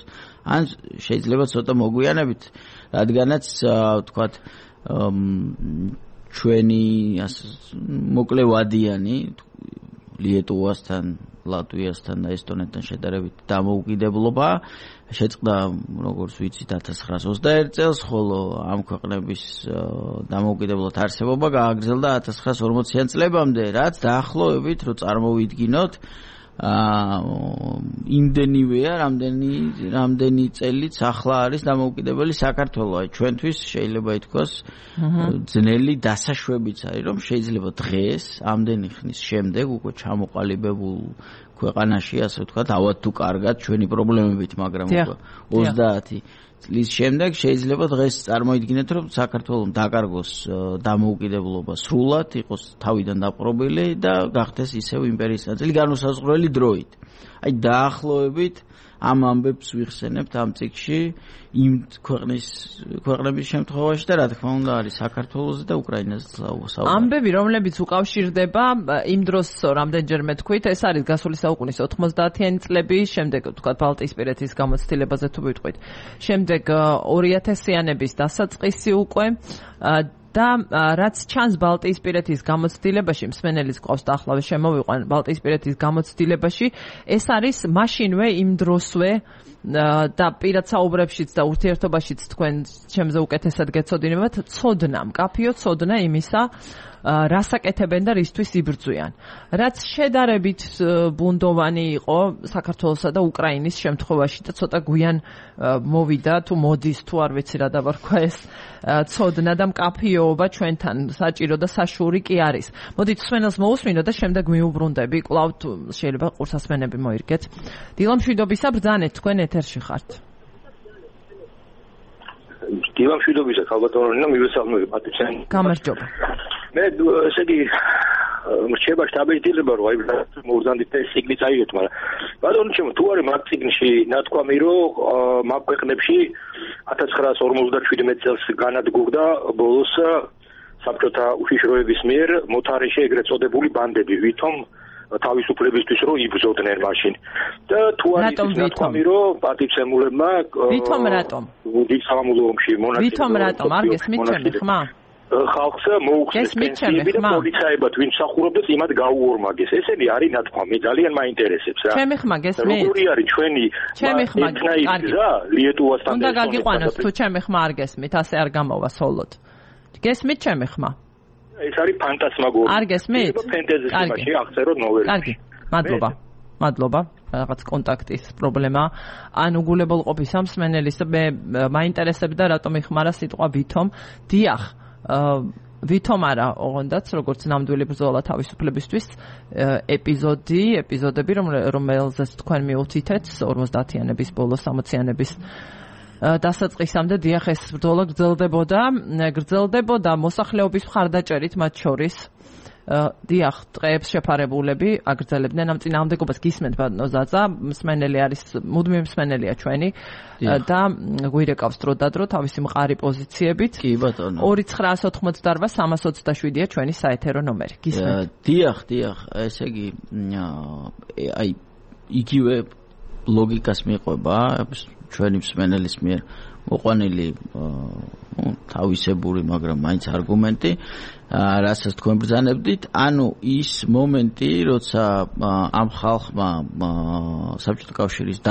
ან შეიძლება ცოტა მოგვიანებით, რადგანაც თქვათ ჩვენი მოკლე ვადიანი ლიეტუვასთან, ლატვიასთან და ესტონეთთან შედარებით დამოუკიდებლობა შეწყდა, როგორც ვიცით, 1921 წელს, ხოლო ამ ქვეყნების დამოუკიდებლად არსებობა გააგრძელდა 1940-იან წლებამდე, რაც დაახლოებით რო წარმოვიდგინოთ იმდენივეა, რამდენი წელიც ახლა არის დამოუკიდებელი საქართველო. აი ჩვენთვის შეიძლება ითქვას ძნელი დასაშვებიც არის, რომ შეიძლება დღეს ამდენი ხნის შემდეგ უკვე ჩამოყალიბებულ ქვეყანაში, ასე ვთქვათ, ავად თუ კარგად ჩვენი პრობლემებით, მაგრამ უკვე 30 წლის შემდეგ შეიძლება დღეს წარმოიდგინეთ, რომ საქართველოს დაკარგოს დამოუკიდებლობა სრულად, იყოს თავიდან დაპყრობილი და გახდეს ისევ იმპერიის ნაწილი განუსაზღვრელი დროით. აი დაახლოებით ამ ამბებს ვიხსენებთ ამ წიგნში იმ ქვეყნების შემთხვევაში და რა თქმა უნდა არის საქართველოს და უკრაინაზე საუბარი. ამბები, რომლებიც უკავშირდება იმ დროს რამდენჯერმე თქვით, ეს არის გასული საუკუნის 90-იანი წლები, შემდეგ თქვათ ბალტიისპირეთის გამოცდილებაზე თუ ვიტყვით. შემდეგ 2000-იანების დასაწყისი უკვე და რაც ჩანს ბალტიისპირეთის გამოცდილებაში, მსმენელის ყავს და ახლავე შემოვიყვან ბალტიისპირეთის გამოცდილებაში, ეს არის მაშინვე იმ დროსვე და პირად საუბრებშიც და ურთიერთობაშიც თქვენ ჩემზე უკეთესად გეცოდინებათ, ცოდნა, მკაფიო ცოდნა იმისა, რასაკეთებენ და რისთვის იბრძვიან. რაც შედარებით ბუნდოვანი იყო საქართველოსა და უკრაინის შემთხვევაში და ცოტა გვიან მოვიდა თუ მოდის თუ არ ვიცი რა დავარქვა ეს ცოდნა და მკაფიოობა ჩვენთან საჭირო და საშუური კი არის. მოდით მსმენელს მოусმინო და შემდეგ მიუბრუნდები, კვლავ შეიძლება ყურსასმენები მოირგეთ. დილამშვიდობისა ბრძანეთ, თქვენ ეთერში ხართ. დილამშვიდობისა ხალბატონო, მივესალმები პატიცანი. გამარჯობა. მე ესე იგი რჩება შტაბილიზება რომ აი მოვზანდით ეს სიგნი წაიღეთ, მაგრამ ბატონო ჩემო თუ არის მაგ ციგნში ნათქვამი რომ მაგ ქვეყნებში 1957 წელს განადგურდა ბოლოს საბჭოთა უშიშროების მიერ მოთარეშე ეგრეთ წოდებული ბანდები, ვითომ თავისუფლებისთვის რომ იბრძოდნენ მაშინ. და თუ არის ნათქვამი რომ პატივცემულებმა ვითომ რატომ? დიდ სამამულო ომში მონაწილეობდნენ. ვითომ რატომ? არ გესმით ჩემი ხმა? ხალხს მოუხსნეს პენსიები და პოლიციებად ვინ მსახურობდეს იმად გაუორმაგეს. ესენი არის ნათქვამი, ძალიან მაინტერესებს რა. ჩემი ხმა გესმით? როგორი არის ჩვენი ეთნაიზმი ლიეტუვასთან უნდა გაგიყვანოს თუ ჩემი ხმა არ გესმით, ასე არ გამოვა სოლოდ. გესმით ჩემი ხმა? ეს არის ფანტასმაგორია. არ გესმით? ფენტეზიაში აღწეროთ ნოველებში. კარგი. მადლობა. რაღაც კონტაქტის პრობლემა. ან უგულებელყოფის ამ მსმენელის მე მაინტერესებდა რატომ იხმარა სიტყვა ვითომ. დიახ, ვითომ არა ოღონდაც როგორც ნამდვილი ბრძოლა თავისუფლებისთვის ეპიზოდები რომელზეც თქვენ მიუთითეთ 50-იანების ბოლოს 60-იანების დასაწყისამდე დიახ ეს ბრძოლა გრძელდებოდა მოსახლეობის მხარდაჭერით მათ შორის დიახ დღეებს შეფარებულები აგრძელებდნენ ამ წინააღმდეგობას გისმენთ ბატონო ზაზა მსმენელი არის მუდმივი მსმენელია ჩვენი და გვირეკავს დროდადრო თავისი მყარი პოზიციებით კი ბატონო 2988-327-ია ჩვენი საეთერო ნომერი გისმენთ დიახ ესე იგი აი იგივე ლოგიკას მიყვება ჩვენი მსმენელის მიერ მოყვანილი თავისებური მაგრამ მაინც არგუმენტი რასაც თქვენ ბრძანებდით ანუ ის მომენტი როცა ამ ხალხმა საბჭოთა კავშირის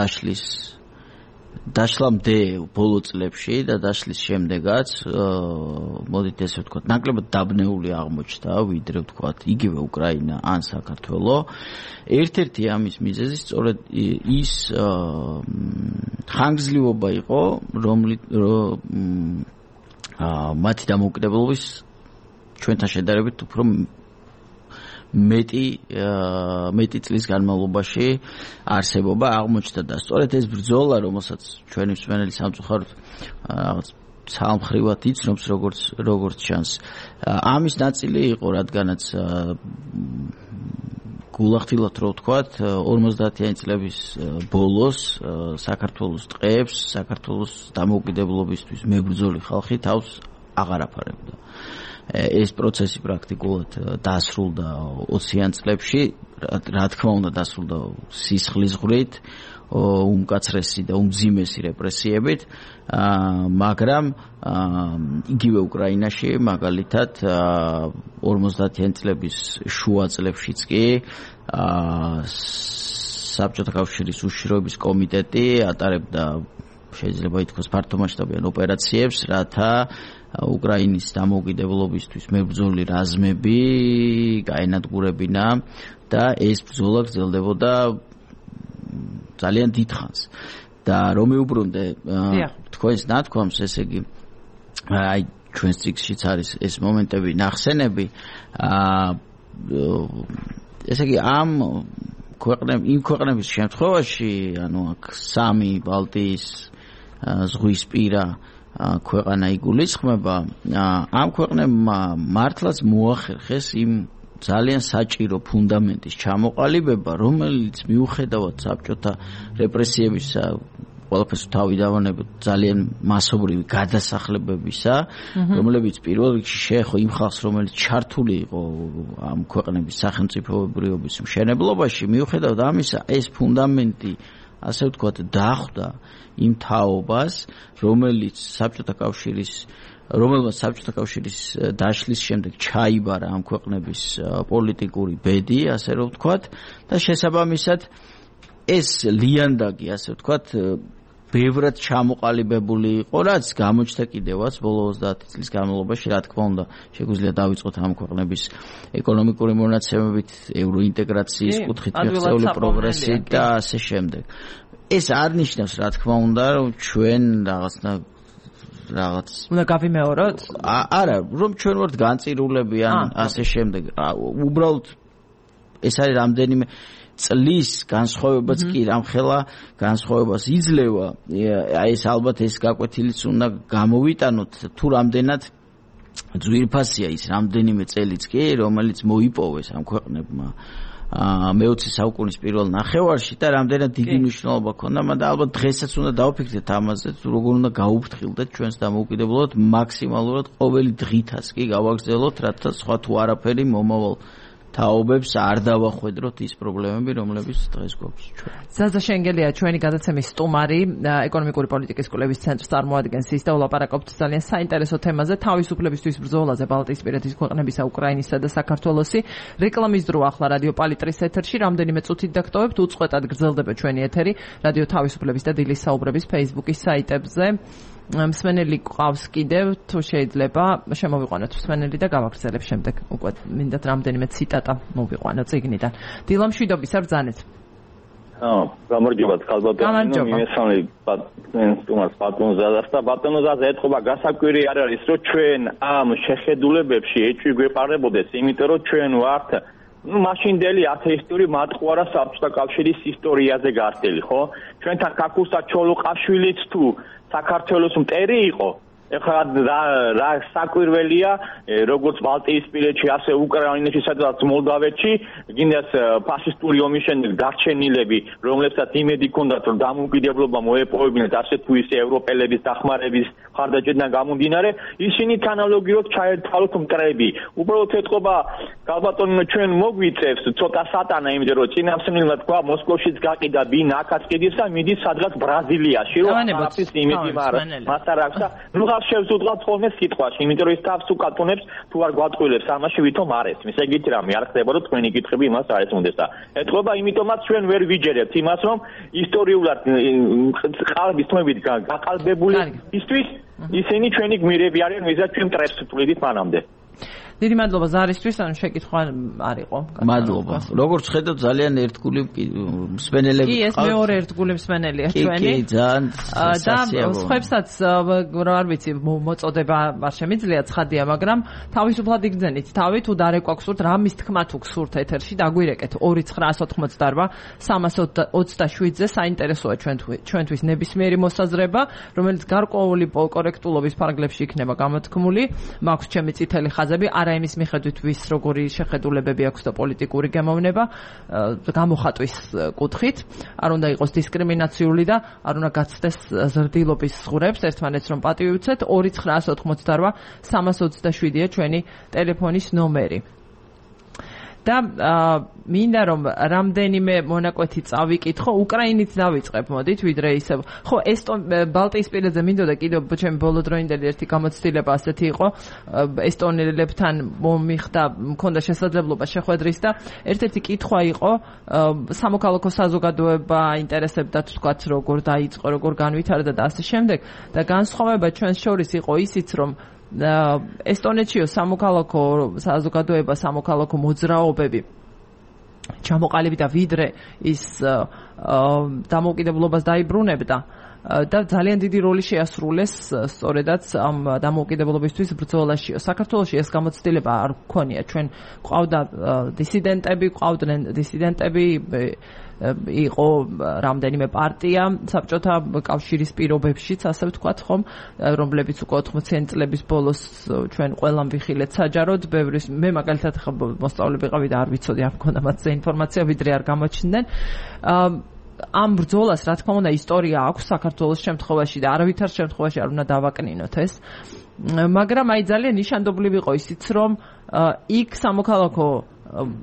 დაშლამდე ბოლო წლებში და დაშლის შემდეგაც მოდით ესე ვთქვათ ნაკლებად დაბნეული აღმოჩნდა ვიდრე ვთქვათ იგივე უკრაინა ან საქართველო ერთ-ერთი ამის მიზეზი სწორედ ის ხანგრძლივობა იყო მათი დამოუკიდებლობის ჩვენთან შედარებით უფრო მეტი წლის განმავლობაში არსებობა აღმოჩნდა და სწორედ ეს ბრძოლა რომელსაც ჩვენი მსმენელი სამწუხაროდ რაღაც ცალმხრივად იცნობს როგორც ჩანს ამის ნაწილი იყო რადგანაც გულახდილად რო ვთქვათ 50-იანი წლების ბოლოს საქართველოს ტყეებს საქართველოს დამოუკიდებლობისთვის მებრძოლი ხალხი თავს აღარ აფარებდა ეს პროცესი პრაქტიკულად დასრულდა 20-იან წლებში რა თქმა უნდა დასრულდა სისხლის ღვრით უმკაცრესი და უმძიმესი რეპრესიებით მაგრამ იგივე უკრაინაში მაგალითად 50-იან წლების შუა წლებშიც კი საბჭოთა კავშირის უშიშროების კომიტეტი ატარებდა შეიძლება ითქვას ფართომასშტაბიან ოპერაციებს რათა უკრაინის დამოუკიდებლობისთვის მებრძოლი რაზმები გაენადგურებინა და ეს ბრძოლა გრძელდებოდა ძალიან დიდხანს და რომ მეუბრუნდე თქვენს ნათქვამს ესე იგი აი ჩვენს წიგნშიც არის ეს მომენტები ნახსენები ესე იგი ამ ქვეყნების შემთხვევაში ანუ აქ სამი ბალტიის ზღვისპირა ქვეყანა იგულისხმება ამ ქვეყნებმა მართლაც მოახერხეს იმ ძალიან საჭირო ფუნდამენტის ჩამოყალიბება რომელიც მიუხედავად საბჭოთა რეპრესიებისა ყველაფერს თავი დავანებოთ ძალიან მასობრივი გადასახლებებისა რომლებიც პირველ რიგში შეეხო იმ ხალხს რომელიც ჩართული იყო ამ ქვეყნების სახელმწიფოებრიობის მშენებლობაში მიუხედავად ამისა ეს ფუნდამენტი ასე ვთქვათ დახვდა იმ თაობას რომელმაც საბჭოთა კავშირის დაშლის შემდეგ ჩაიბარა ამ ქვეყნების პოლიტიკური ბედი ასე რომ ვთქვათ და შესაბამისად ეს ლიანდაგი ასე ვთქვათ ბევრად ჩამოყალიბებული იყო რაც გამოჩნდა კიდევაც ბოლო 30 წლის განმავლობაში რა თქმა უნდა შეგვიძლია დავიწყოთ ამ ქვეყნების ეკონომიკური მონაცემებით ევროინტეგრაციის კუთხით მიღწეული პროგრესი და ასე შემდეგ ეს არ ნიშნავს რა თქმა უნდა რომ ჩვენ რაღაც უნდა გავიმეოროთ არა რომ ჩვენ ვართ განწირულები ან ასე შემდეგ უბრალოდ ეს არის რამდენიმე წლის განსხვავებაც კი რამხელა განსხვავებას იძლევა აი ეს ალბათ ეს გაკვეთილიც უნდა გამოვიტანოთ თუ რამდენად ძვირფასია ის რამდენიმე წელიც კი რომელიც მოიპოვეს ამ ქვეყნებმა მე-20 საუკუნის პირველ ნახევარში და რამდენად დიდი მნიშვნელობა ჰქონდა მაგრამ ალბათ დღესაც უნდა დავფიქრდეთ ამაზე როგორ უნდა გაუფრთხილდეთ ჩვენს დამოუკიდებლობად მაქსიმალურად ყოველი დღითაც კი გავაგრძელოთ რათა სხვა თუ არაფერი მომავალ თაობებს არ დავახვედროთ ის პრობლემები, რომლებიც დღეს გვაქვს ჩვენ. ზაზა შენგელია ჩვენი გადაცემის სტუმარი, ეკონომიკური პოლიტიკის კვლევის ცენტრს წარმოადგენს ის და ვლაპარაკობთ ძალიან საინტერესო თემაზე, თავისუფლებისთვის ბრძოლაზე ბალტიისპირეთის ქვეყნებისა, უკრაინისა და საქართველოსი. რეკლამის დრო ახლა რადიო პალიტრის ეთერში, რამდენიმე წუთით დაგტოვებთ, უწყვეტად გრძელდება ჩვენი ეთერი, რადიო თავისუფლების და დილის საუბრების Facebook-ის საიტებზე. მსმენელი ყავს კიდევ თუ შეიძლება შემოვიყვანოთ მსმენელი და გავაგრძელებ შემდეგ უკვე მინდათ რამდენიმე ციტატა მოვიყვანო წიგნიდან. დილამშვიდობის არ ბრძანეთ. გამარჯობა ხალბატონო მიმესალმე ბატონს ბატონზადას და ბატონზადას ეთყობა გასაკვირი არ არის რომ ჩვენ ამ შეხედულებებში ეჭვი გვეპარებოდეს იმიტომ რომ ჩვენ ვართ მაშინდელი ათეისტური მატყუარა საბჭოთა კავშირის ისტორიაზე გართელი ხო ჩვენთან კაკუსა ჩოლოყაშვილიც თუ საქართველოს მტერი იყო ეხლა რა საკვირველია როგორც ბალტიისპირეთში ასე უკრაინაში სადაც მოლდავეთში გინდას ფაშისტური ომის შემდეგ დარჩენილები რომლებსაც იმედი ჰქონდათ რომ დამოუკიდებლობა მოეპოვებინათ ასე თუ ისე ევროპელების დახმარების ხარდაჭერიდან გამომდინარე ისინი თანალოგიურად ჩაერთვალოთ მტრები უბრალოდ ეთყობა გალბატონო ჩვენ მოგვიწევს ცოტა სატანა იმიტომ რომ წინამსხმელმა თქვა მოსკოვშიც გაყიდა ბინ აქაც ყიდის და მიდის სადღაც ბრაზილიაში რომ არაფრის იმედი მას არ აქვს და ნუ შევზუდღათ ხოლმე სიტყვაში, იმიტომ რომ ის თავს უკატუნებს თუ არ გვატყვილებს ამაში ვითომ არ ესმის. ეგეთი რამე არ ხდება, რომ თქვენი კითხები იმას არ ესმოდეს და ეთქობა იმიტომაც ჩვენ ვერ ვიჯერებთ იმას, რომ ისტორიულად ყალბის თმებით გაყალბებული ისთვის ისინი ჩვენი გმირები არიან, ვიზა ჩვენ ტრებს თვლიდით მანამდე. დიდი მადლობა ზარისთვის, ანუ შეკითხვა არ იყო. მადლობა. როგორც ხედავთ, ძალიან ერთგული მსმენელები კი, ეს მეორე ერთგული მსმენელია ჩვენი. კი, ძალიან და სხვებსაც არ ვიცი, მოწოდება არ შემიძლია ცხადია, მაგრამ თავისუფლად იგრძენით. თავი თუ დარეკვაქვსურთ, რამის თქმა თუ გსურთ ეთერში, დაგვირეკეთ 2988 327-ზე საინტერესოა ჩვენთვის ნებისმიერი მოსაზრება, რომელიც გარკვეული კორექტულობის ფარგლებში იქნება გამოთქმული. მაქვს ჩემი წითელი ხაზები არა იმის მიხედვით ვის როგორი შეხედულებები აქვს და პოლიტიკური გამოვნება გამოხატვის კუთხით არ უნდა იყოს დისკრიმინაციული და არ უნდა გაცდეს ზრდილობის ზღურებს ერთმანეთს რომ პატივი უცეთ 2988 327-ია ჩვენი ტელეფონის ნომერი და მინდა რომ რამდენიმე მონაკვეთი წავიკითხო უკრაინით დავიწყებ მოდით ვიდრე ისე ხო ბალტიისპირეთზე მინდოდა კიდევ ჩემი ბოლოდროინდელი ერთი გამოცდილება ასეთი იყო ესტონელებთან მომიხდა მქონდა შესაძლებლობა შეხვედრის და ერთ-ერთი კითხვა იყო სამოქალაქო საზოგადოება ინტერესებდა თქვათ როგორ დაიწყო როგორ განვითარდა და ასე შემდეგ და განსხვავება ჩვენს შორის იყო ისიც რომ ესტონეთშიო სამოქალაქო საზოგადოება სამოქალაქო მოძრაობები ჩამოყალიბდა ვიდრე ის დამოუკიდებლობას დაიბრუნებდა და ძალიან დიდი როლი შეასრულეს სწორედაც ამ დამოუკიდებლობისთვის ბრძოლაშიო. საქართველოში ეს გამოცდილება არ გქონია. ჩვენ ყავდა დისიდენტები იყო რამდენიმე პარტია საბჭოთა კავშირის პირობებშიც ასე ვთქვათ ხომ რომლებიც უკვე 80-იანი წლების ბოლოს ჩვენ ყველამ ვიხილეთ საჯაროდ ბევრის მე მაგალითად მოსწავლე ვიყავი და არ ვიცოდი არ მქონდა მათზე ინფორმაცია ვიდრე არ გამოჩნდნენ ამ ბრძოლას რა თქმა უნდა ისტორია აქვს საქართველოს შემთხვევაში და არავითარ შემთხვევაში არ უნდა დავაკნინოთ ეს მაგრამ აი ძალიან ნიშანდობლივ იყო ისიც რომ იქ სამოქალაქო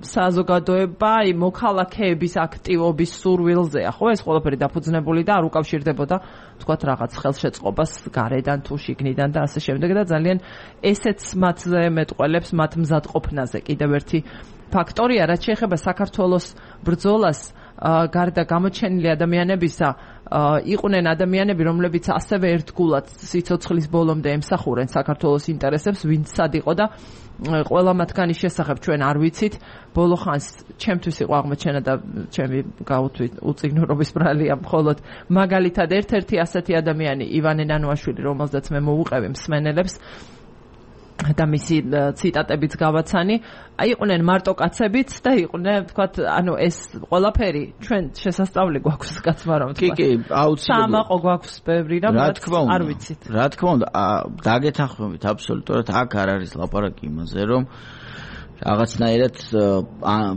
საზოგადოება მოქალაქეების აქტივობის სურვილზეა ხო ეს ყველაფერი დაფუძნებული და არ უკავშირდებოდა თქვათ რაღაც ხელშეწყობას გარედან თუ შიგნიდან და ასე შემდეგ და ძალიან ესეც მათზე მეტყველებს მათ მზადყოფნაზე კიდევ ერთი ფაქტორია რაც შეეხება საქართველოს ბრძოლას გარდა გამოჩენილი ადამიანებისა იყვნენ ადამიანები რომლებიც ასევე ერთგულად სიცოცხლის ბოლომდე ემსახურენ საქართველოს ინტერესებს ვინც სად იყო და ყველა მათგანის შესახებ ჩვენ არ ვიცით ბოლო ხანს ჩემთვის იყო აღმოჩენა და ჩემი გაუთვით უწიგნურობის ბრალია მხოლოდ მაგალითად ერთ-ერთი ასეთი ადამიანი ივანე ნანუაშვილი რომელზეც მე მოვუყევი მსმენელებს და მისი ციტატებიც გავაცანი იყვნენ მარტო კაცებიც და იყვნენ ვთქვათ ანუ ეს ყველაფერი ჩვენ შესასწავლი გვაქვს კაცმა რომ თქვა კი აუცილებლად სამაყო გვაქვს ბევრი და არ ვიცით რა თქმა უნდა დაგეთანხმებით აბსოლუტურად აქ არ არის ლაპარაკი იმაზე რომ რაღაცნაირად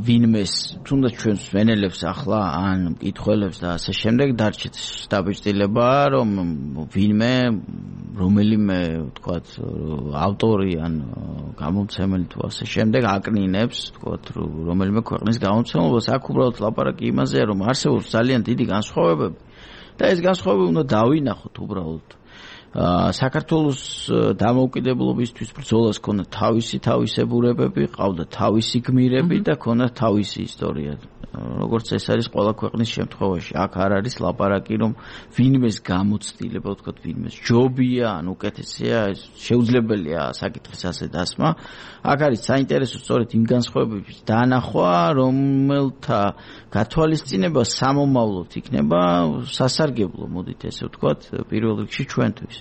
ვინმეს თუნდაც ჩვენს ვენელებს ახლა ან მკითხველებს და ასე შემდეგ დარჩეთ დაბეჭდილება რომ ვინმე რომელიმე ვთქვათ ავტორი ან გამომცემელი თუ ასე შემდეგ აკნინებს ვთქვათ რომელიმე ქვეყნის გამომცემლობას აქ უბრალოდ ლაპარაკი იმაზეა რომ არსებობს ძალიან დიდი განსხვავებები და ეს განსხვავებები უნდა დავინახოთ უბრალოდ საქართველოს დამოუკიდებლობისთვის ბრძოლას ქონდა თავისი თავისებურებები, ყავდა თავისი გმირები და ქონდა თავისი ისტორია. როგორც ეს არის ყველა ქვეყნის შემთხვევაში. აქ არ არის ლაპარაკი, რომ ვინმეს გამოცდილება, ვთქვათ, ვინმეს ჯობია, ან უკეთესია, შეუძლებელია საკითხის ასე დასმა. აქ არის საინტერესო სწორედ იმ განსხვავებების დანახვა, რომელთა გათვალისწინება სამომავლოდ იქნება სასარგებლო, მოდით ესე ვთქვათ, პირველ რიგში ჩვენთვის.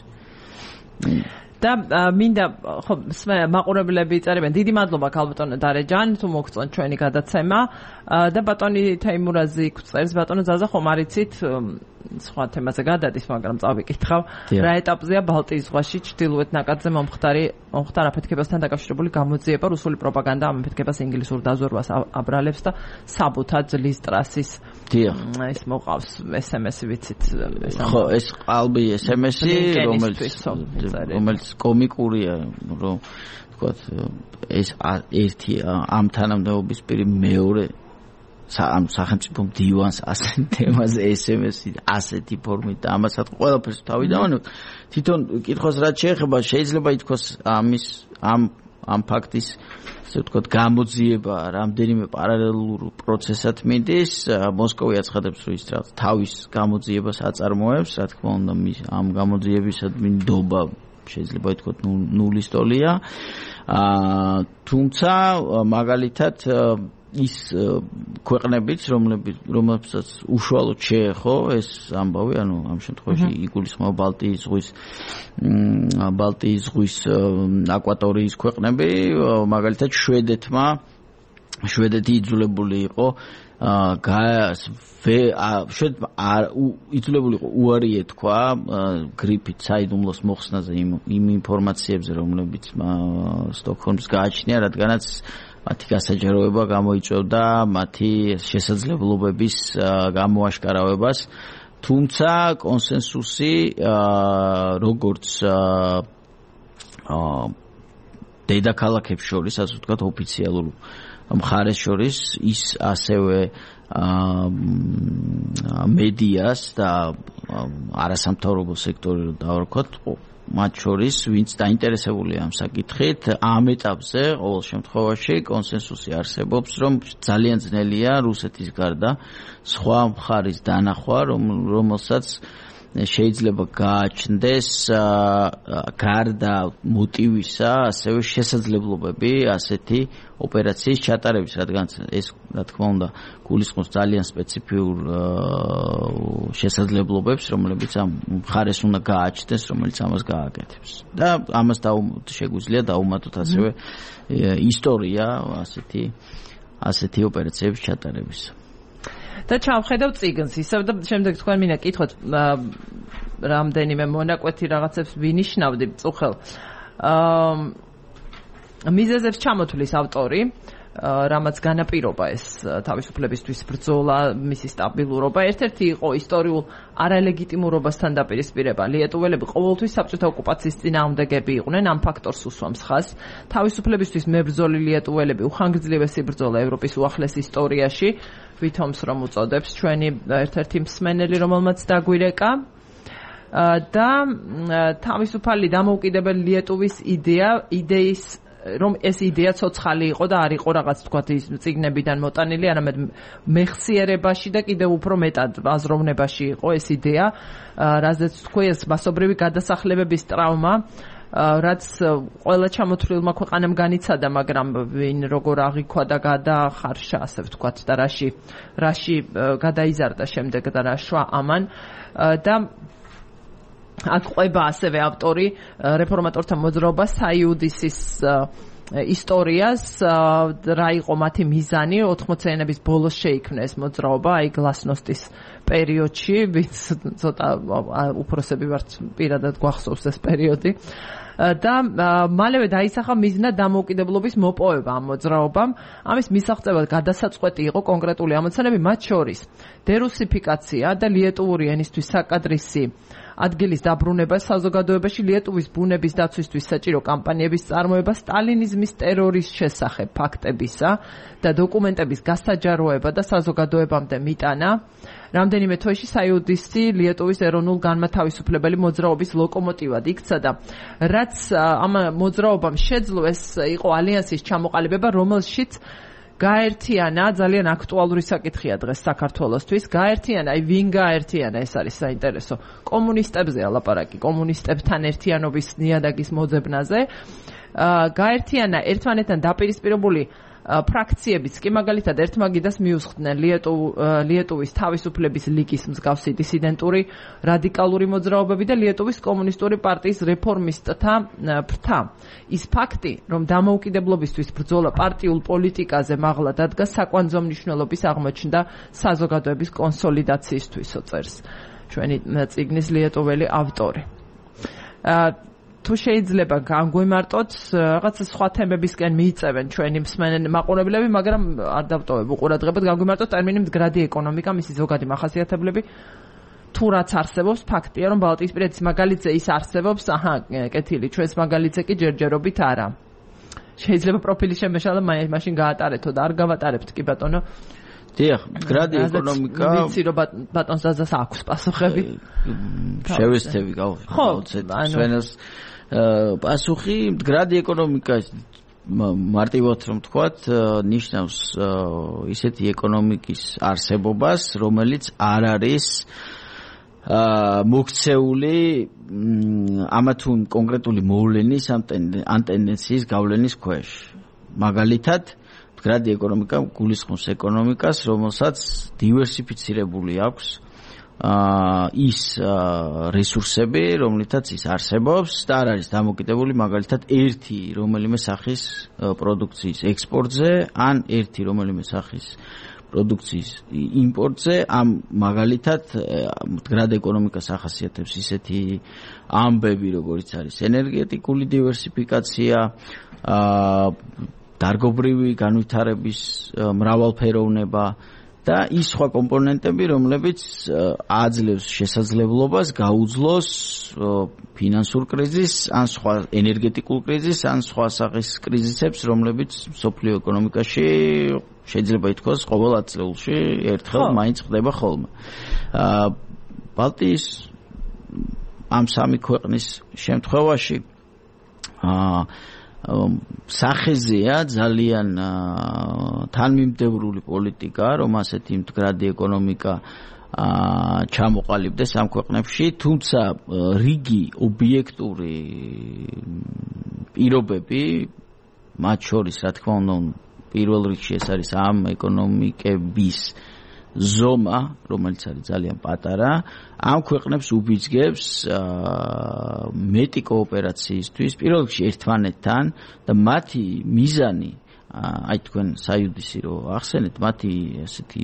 და მინდა ხო მაყურებლები წერებენ დიდი მადლობა ქალბატონო დარეჯან თუ მოგწონთ ჩვენი გადაცემა და ბატონი თეიმურაზი წერს ბატონო ზაზა ხომ არიცით სხვა თემაზე გადადის მაგრამ წავიკითხავ რა ეტაპზეა ბალტიის ზღვაში ჩრდილოეთ ნაკადზე მომხდარ აფეთქებასთან დაკავშირებული გამოძიება რუსული პროპაგანდა ამ აფეთქებას ინგლისურ დაზვერვას აბრალებს და საბუთად ლის ტრასის ეს მოყავს SMS-ი ვიცით ხო ეს ყალბი SMS-ი რომელიც კომიკურია რომ ვთქვათ ეს ერთი ამ თანამდებობის პირი მეორე ამ სახელმწიფო მდივანს ასეთ თემაზე SMS-ი ასეთი ფორმით და ამასაც ყველაფერს თავი დავანებთ თვითონ კითხოს რაც შეეხება შეიძლება ითქვას ამ ფაქტის ასე ვთქვათ გამოძიება რამდენიმე პარალელურ პროცესად მიდის მოსკოვი აცხადებს რომ ის თავის გამოძიებას აწარმოებს რა თქმა უნდა ამ გამოძიებისადმი ნდობა შეიძლება ითქვათ ნულის ტოლია თუმცა მაგალითად ის ქვეყნებიც რომლებსაც უშუალოდ შეეხო ეს ამბავი ანუ ამ შემთხვევაში იგულისხმება ბალტიის ზღვის აკვატორიის ქვეყნები მაგალითად შვედეთი იძულებული იყო იძულებული იყო უარი ეთქვა გრიფით საიდუმლოს მოხსნაზე იმ ინფორმაციებზე რომლებიც სტოკჰოლმს გააჩნია რადგანაც მათი გასაჯაროება გამოიწვევდა მათი შესაძლებლობების გამოაშკარავებას თუმცა კონსენსუსი როგორც დედაქალაქებს შორის ასე ვთქვათ ოფიციალურ მხარეს შორის ის ასევე მედიას და არასამთავრობო სექტორი დავარქვათ მათ შორის ვინც დაინტერესებულია ამ საკითხით ამ ეტაპზე ყოველ შემთხვევაში კონსენსუსი არსებობს რომ ძალიან ძნელია რუსეთის გარდა სხვა მხარის დანახვა რომელსაც შეიძლება გააჩნდეს გარდა მოტივისა ასევე შესაძლებლობები ასეთი ოპერაციის ჩატარების რადგან ეს რა თქმა უნდა გულისხმობს ძალიან სპეციფიურ შესაძლებლობებს რომლებიც ამ მხარეს უნდა გააჩნდეს რომელიც ამას გააკეთებს და ამას შეგვიძლია დაუმატოთ ასევე ისტორია ასეთი ოპერაციების ჩატარების და ჩავხედავ წიგნს ისევ და შემდეგ თქვენ მინდა კითხოთ რამდენიმე მონაკვეთი რაღაცებს ვინიშნავდი მწუხელ მიზეზებს ჩამოთვლის ავტორი რამაც განაპირობა ეს თავისუფლებისთვის ბრძოლა მისი სტაბილურობა ერთ-ერთი იყო ისტორიულ არალეგიტიმურობასთან დაპირისპირება ლიეტუველები ყოველთვის საბჭოთა ოკუპაციის წინააღმდეგები იყვნენ ამ ფაქტორს უსვამს ხაზს თავისუფლებისთვის მებრძოლი ლიეტუველები უხანგრძლივესი ბრძოლა ევროპის უახლეს ისტორიაში ვითომს რომ უწოდებს ჩვენი ერთ-ერთი მსმენელი რომელმაც დაგვირეკა და თავისუფალი დამოუკიდებელი ლიეტუვის იდეის რომ ეს იდეა ცოცხალი იყო და არ იყო რაღაც თქვათ ის წიგნებიდან მოტანილი, არამედ მეხსიერებაში და კიდევ უფრო მეტად აზროვნებაში იყო ეს იდეა, რაზეც თქვი ეს მასობრივი გადასახლებების ტრავმა, რაც ყველა ჩამოთვლილმა ქვეყანამ განიცადა, მაგრამ ვინ როგორ აღიქვა და გადაახარშა, ასე ვთქვათ, და რაში გადაიზარდა შემდეგ და რა შვა ამან და აქ ყვება ასევე ავტორი რეფორმატორთა მოძრაობა საიუდისის ისტორიას რა იყო მათი მიზანი 80-იანების ბოლოს შეიქმნა ეს მოძრაობა აი გლასნოსტის პერიოდში ვინც ცოტა უფროსები ვართ პირადად გვახსოვს ეს პერიოდი და მალევე დაისახა მიზნად დამოუკიდებლობის მოპოვება ამ მოძრაობამ ამის მისაღწევად გადასაწყვეტი იყო კონკრეტული ამოცანები მათ შორის დერუსიფიკაცია და ლიეტუვური ენისთვის საკადრისი ადგილის დაბრუნება საზოგადოებაში ლიეტუვის ბუნების დაცვისთვის საჭირო კამპანიების წარმოება სტალინიზმის ტერორის შესახებ ფაქტებისა და დოკუმენტების გასაჯაროება და საზოგადოებამდე მიტანა რამდენიმე თვეში საიუდისი ლიეტუვის ეროვნულ განმათავისუფლებელი მოძრაობის ლოკომოტივად იქცა და რაც ამ მოძრაობამ შეძლო ეს იყო ალიანსის ჩამოყალიბება რომელშიც გაერთიანა ძალიან აქტუალური საკითხია დღეს საქართველოსთვის. გაერთიანა, ვინ გაერთიანა, ეს არის საინტერესო. კომუნისტებზე ალაპარაკი, კომუნისტებთან ერთიანობის ნიადაგის მოძებნაზე. გაერთიანა ერთმანეთთან დაპირისპირებული ფრაქციებიც კი მაგალითად ერთმაგიდას მიუსხდნენ ლიეტუვის თავისუფლების ლიგის მსგავსი დისიდენტური რადიკალური მოძრაობები და ლიეტუვის კომუნისტური პარტიის რეფორმისტთა ფრთა. ის ფაქტი, რომ დამოუკიდებლობისთვის ბრძოლა პარტიულ პოლიტიკაზე მაღლა დადგა, საკვანძო მნიშვნელობის აღმოჩნდა საზოგადოების კონსოლიდაციისთვისო წერს ჩვენი წიგნის ლიეტუველი ავტორი. თუ შეიძლება განგვიმარტოთ რაღაცა სხვა თემებისკენ მიიწევენ ჩვენი მსმენელი მაყურებლები, მაგრამ არ დავტოვებ უყურადღებად, განგვიმარტოთ ტერმინი მდგრადი ეკონომიკა, მისი ზოგადი მახასიათებლები, თუ რაც არსებობს, ფაქტია, რომ ბალტიისპირეთის მაგალითზე ის არსებობს, კეთილი, ჩვენს მაგალითზე კი ჯერჯერობით არა. შეიძლება პროფილის შემეშალა მაშინ გაატარეთო და არ გავატარებთ კი ბატონო. დიახ, მდგრადი ეკონომიკა. ვიცი რომ ბატონს დაზას აქვს პასუხები. შევესწევი გავუცეთ ჩვენს პასუხი. მდგრადი ეკონომიკა მარტივად რომ თქვათ, ნიშნავს ისეთი ეკონომიკის არსებობას, რომელიც არ არის მოქცეული ამა თუ კონკრეტული მოვლენის ან ტენდენციის გავლენის ქვეშ. მაგალითად, მდგრადი ეკონომიკა გულისხმობს ეკონომიკას, რომელსაც დივერსიფიცირებული აქვს ის რესურსები, რომლითაც ის არსებობს და არ არის დამოკიდებული მაგალითად ერთი რომელიმე სახის პროდუქციის ექსპორტზე ან ერთი რომელიმე სახის პროდუქციის იმპორტზე. ამ მაგალითად მდგრად ეკონომიკას ახასიათებს ისეთი ამბები, როგორც არის ენერგეტიკული დივერსიფიკაცია, დარგობრივი განვითარების მრავალფეროვნება და ის სხვა კომპონენტები, რომლებიც აძლევს შესაძლებლობას გაუძლოს ფინანსურ კრიზისს, ან სხვა ენერგეტიკულ კრიზისს, ან სხვა სახის კრიზისებს, რომლებიც მსოფლიო ეკონომიკაში შეიძლება ითქვას ყოველ ათწლეულში ერთხელ მაინც ხდება ხოლმე. ბალტიის ამ სამი ქვეყნის შემთხვევაში სახეზეა ძალიან თანმიმდევრული პოლიტიკა, რომ ასეთი მდგრადი ეკონომიკა ჩამოყალიბდეს ამ ქვეყნებში, თუმცა რიგი ობიექტური პირობები, მათ შორის, რა თქმა უნდა, პირველ რიგში ეს არის ამ ეკონომიკების ზომა, რომელიც არის ძალიან პატარა, ამ ქვეყნებს უბიძგებს მეტი კოოპერაციისთვის, პირველ რიგში ერთმანეთთან და მათი მიზანი, აი თქვენ საიუდისი რო ახსენეთ, მათი ასეთი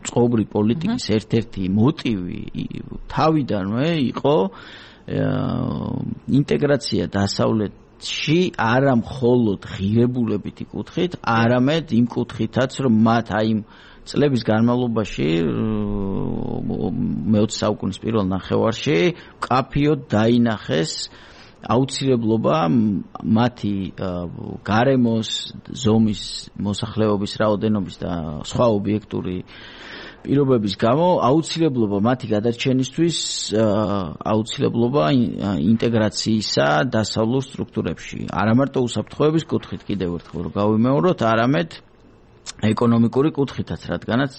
წყობრი პოლიტიკის ერთ-ერთი მოტივი თავიდანვე იყო ინტეგრაცია დასავლეთში, არა მხოლოდ ღირებულებითი კუთხით, არამედ იმ კუთხითაც, რომ მათ აი წლების განმავლობაში მე-20 საუკუნის პირველ ნახევარში მკაფიოდ დაინახეს აუცილებლობა მათი გარემოს, ზომის, მოსახლეობის რაოდენობის და სხვა ობიექტური პირობების გამო აუცილებლობა მათი გადარჩენისთვის, აუცილებლობა ინტეგრაციისა დასავლურ სტრუქტურებში. არა მარტო უსაფრთხოების კუთხით კიდევ ერთხელ რომ გავიმეოროთ, არამედ ეკონომიკური კუთხითაც, რადგანაც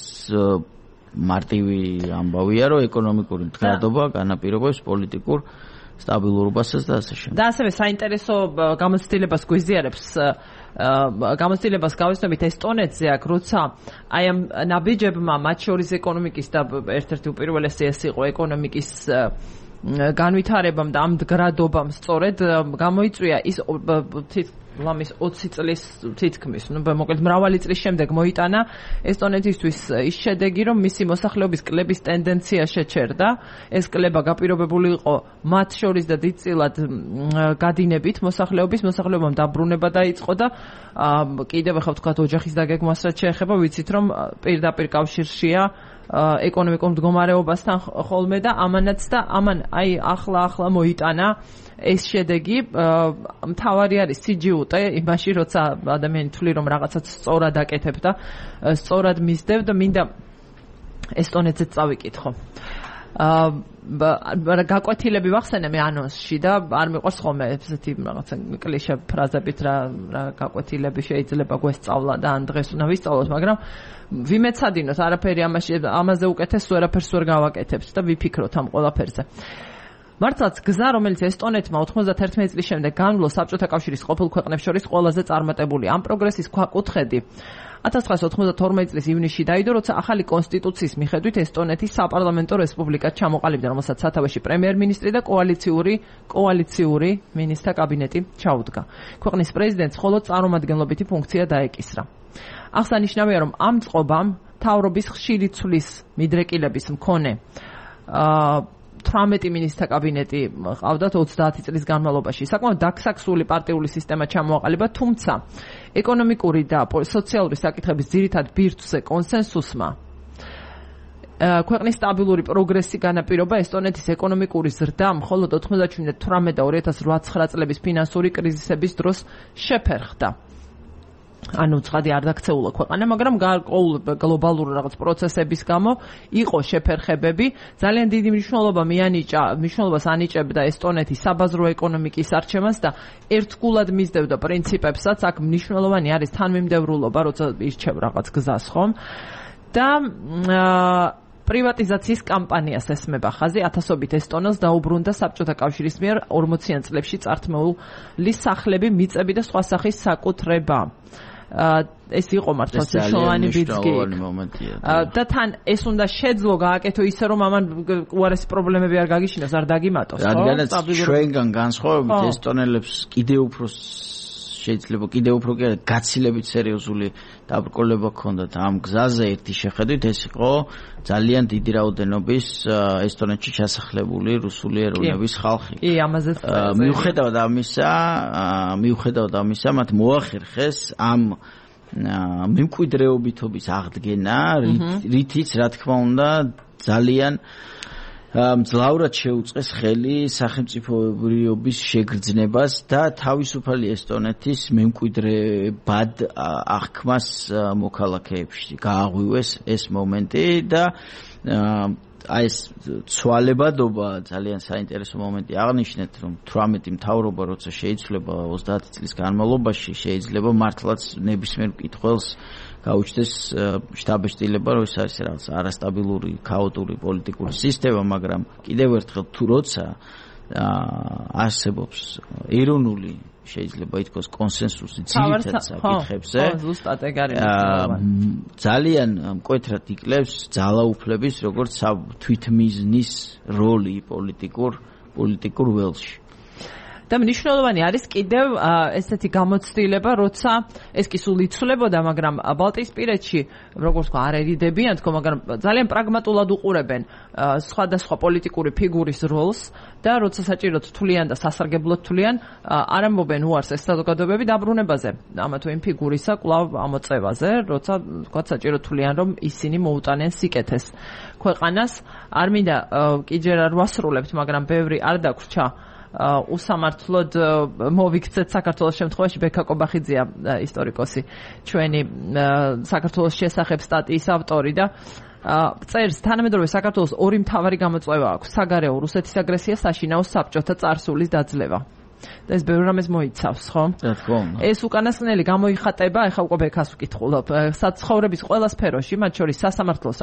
მარტივი ამბავია, რომ ეკონომიკური მდგრადობა განაპირობებს პოლიტიკურ სტაბილურობასაც და ასე შემდეგ. და ასევე საინტერესო გამოცდილებას გვიზიარებს, გამოცდილებას გავესწრებით ესტონეთზე, აქ როცა აი ამ ნაბიჯებმა, მათ შორის ეკონომიკის და ერთ-ერთი უპირველესი ეს იყო ეკონომიკის განვითარებამ და ამ მდგრადობამ სწორედ გამოიწვია ის ლამის 20 წლის თითქმის, მოკლედ მრავალი წლის შემდეგ მოიტანა ესტონეთისთვის ის შედეგი, რომ მისი მოსახლეობის კლების ტენდენცია შეჩერდა. ეს კლება გაპირობებული იყო მათ შორის და დიდწილად გადინებით მოსახლეობამ დაბრუნება დაიწყო და კიდევ ახლა ვთქვათ ოჯახის დაგეგმვას რაც შეეხება, ვიცით რომ პირდაპირ კავშირშია ეკონომიკურ მდგომარეობასთან ხოლმე და ამანაც და ამან აი ახლა მოიტანა ეს შედეგი. მთავარი არის სიჯიუტე იმაში, როცა ადამიანი თვლი რომ რაღაცას სწორად აკეთებ და სწორად მისდევ და მინდა ესტონეთზეც წავიკითხო. გაკვეთილები ვახსენე მე ანონსში და არ მიყვარს ხოლმე ესეთი რაღაცა კლიშე ფრაზებით რა გაკვეთილები შეიძლება გვესწავლა და ან დღეს უნდა ვისწავლოთ, მაგრამ ვიმეცადინოთ, არაფერი ამაზე უკეთეს ვერაფერს ვერ გავაკეთებთ და ვიფიქროთ ამ ყველაფერზე. მართლაც გზა, რომელიც ესტონეთმა 91 წლის შემდეგ განვლო საბჭოთა კავშირის ყოფილ ქვეყნებს შორის ყველაზე წარმატებული. ამ პროგრესის ქვაკუთხედი 1992 წლის ივნისში დაიდო, როცა ახალი კონსტიტუციის მიხედვით ესტონეთის საპარლამენტო რესპუბლიკად ჩამოყალიბდა, რომელსაც სათავეში პრემიერ-მინისტრი და კოალიციური მინისტრთა კაბინეტი ჩაუდგა. ქვეყნის პრეზიდენტს მხოლოდ წარმომადგენლობითი ფუნქცია დაეკისრა. აღსანიშნავია, რომ ამ წყობამ მთავრობის ხშირი ცვლის მიდრეკილების მქონე 18 მინისტრთა კაბინეტი ყავდათ 30 წლის განმავლობაში. საკმაოდ დაქსაქსული პარტიული სისტემა ჩამოაყალიბა, თუმცა ეკონომიკური და სოციალური საკითხების ძირითად ბირთვზე კონსენსუსმა ქვეყნის სტაბილური პროგრესი განაპირობა ესტონეთის ეკონომიკური ზრდა მხოლოდ 97 და 2008 წლების ფინანსური კრიზისების დროს შეფერხდა. ანუ ცხადი არ დაქცეულა ქვეყანა, მაგრამ გარკვეულ გლობალურ რაღაც პროცესების გამო იყო შეფერხებები. ძალიან დიდი მნიშვნელობას ანიჭებდა ესტონეთის საბაზრო ეკონომიკის არჩევანს და ერთგულად მისდევდა პრინციპებსაც. აქ მნიშვნელოვანი არის თანმიმდევრულობა, როცა ირჩევ რაღაც გზას, ხომ? და პრივატიზაციის კამპანიას ესმება ხაზი. ათასობით ესტონელს დაუბრუნდა საბჭოთა კავშირის მიერ 40-იან წლებში წართმეული სახლები, მიწები და სხვა სახის საკუთრება. ეს იყო მართლაც მნიშვნელოვანი ბიძგი და თან ეს უნდა შეძლო გააკეთო ისე რომ ამან უარესი პრობლემები არ გაგიშინოს, არ დაგიმატოს, ხო? რადგანაც ჩვენგან განსხვავებით ესტონელებს კიდევ უფრო გაცილებით სერიოზული დაბრკოლება ჰქონდათ ამ გზაზე. ერთი შეხედვით ეს იყო ძალიან დიდი რაოდენობის ესტონეთში ჩასახლებული რუსული ეროვნების ხალხი. კი, ამაზეც მიუხედავად ამისა, მათ მოახერხეს ამ მემკვიდრეობითობის აღდგენა, რითიც რა თქმა უნდა ძალიან მძლავრად შეუწყეს ხელი სახელმწიფოებრიობის შეგრძნებას და თავისუფალი ესტონეთის მემკვიდრებად აღქმას მოქალაქეებში. გააღვივეს ეს მომენტი და აი ეს ცვალებადობა ძალიან საინტერესო მომენტი აღნიშნეთ, რომ 18 მთავრობა როცა შეიცვლება 30 წლის განმავლობაში, შეიძლება მართლაც ნებისმიერ მკითხველს გაუჩნდეს შთაბეჭდილება, რომ ეს არის რაღაც არასტაბილური, ქაოტური პოლიტიკური სისტემა, მაგრამ კიდევ ერთხელ თუ როცა არსებობს ეროვნული, შეიძლება ითქვას კონსენსუსი ძირითად საკითხებზე, ძალიან მკვეთრად იკლებს ძალაუფლების, როგორც თვითმიზნის როლი პოლიტიკურ ველში. და მნიშვნელოვანი არის კიდევ ესეთი გამოცდილება, როცა ეს კი სულ იცვლებოდა, მაგრამ ბალტიისპირეთში, როგორც თქვა, არ ერიდებიან თქო, მაგრამ ძალიან პრაგმატულად უყურებენ სხვადასხვა პოლიტიკური ფიგურის როლს და როცა საჭიროდ თვლიან და სასარგებლოდ თვლიან, არ ამბობენ უარს ეს საზოგადოებები დაბრუნებაზე, ამა თუ იმ ფიგურისა კვლავ ამოწევაზე, როცა თქვა საჭიროდ თვლიან, რომ ისინი მოუტანენ სიკეთეს ქვეყანას. არ მინდა კი ჯერ არ ვასრულებთ, მაგრამ ბევრი არ დაგვრჩა უსამართლოდ მოვიქცეთ საქართველოს შემთხვევაში. ბექა კობახიძეა ისტორიკოსი, ჩვენი საქართველოს შესახებ სტატიის ავტორი და წერს, თანამედროვე საქართველოს ორი მთავარი გამოწვევა აქვს: საგარეო რუსეთის აგრესია, საშინაო საბჭოთა წარსულის დაძლევა. და ეს ბევრ რამეს მოიცავს, ხო? ეს უკანასკნელი გამოიხატება, ეხლა უკვე ბექას ვკითხულობ, საცხოვრების ყველა სფეროში, მათ შორის სასამართლოს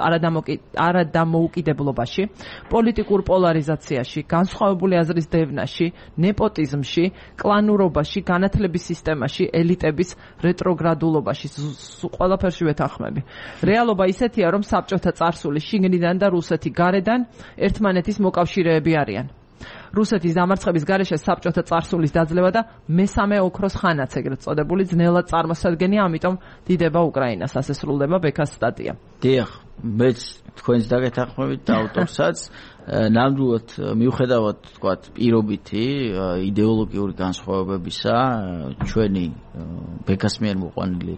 არადამოუკიდებლობაში, პოლიტიკურ პოლარიზაციაში, განსხვავებული აზრის დევნაში, ნეპოტიზმში, კლანურობაში, განათლების სისტემაში, ელიტების რეტროგრადულობაში, ყველაფერში ვეთანხმები. რეალობა ისეთია, რომ საბჭოთა წარსული შიგნიდან და რუსეთი გარედან ერთმანეთის მოკავშირეები არიან. რუსეთის დამარცხების გარეშე საბჭოთა წარსულის დაძლევა და მესამე ოქროს ხანაც ეგრეთ წოდებული ძნელად წარმოსადგენია, ამიტომ დიდება უკრაინას. ასე სრულდება ბექას სტატია. დიახ, მეც თქვენს დაგეთანხმებით და ავტორსაც ნამდვილად მიუხედავად თქვათ პირობითი იდეოლოგიური განსხვავებებისა, ჩვენი ბექას მიერ მოყვანილი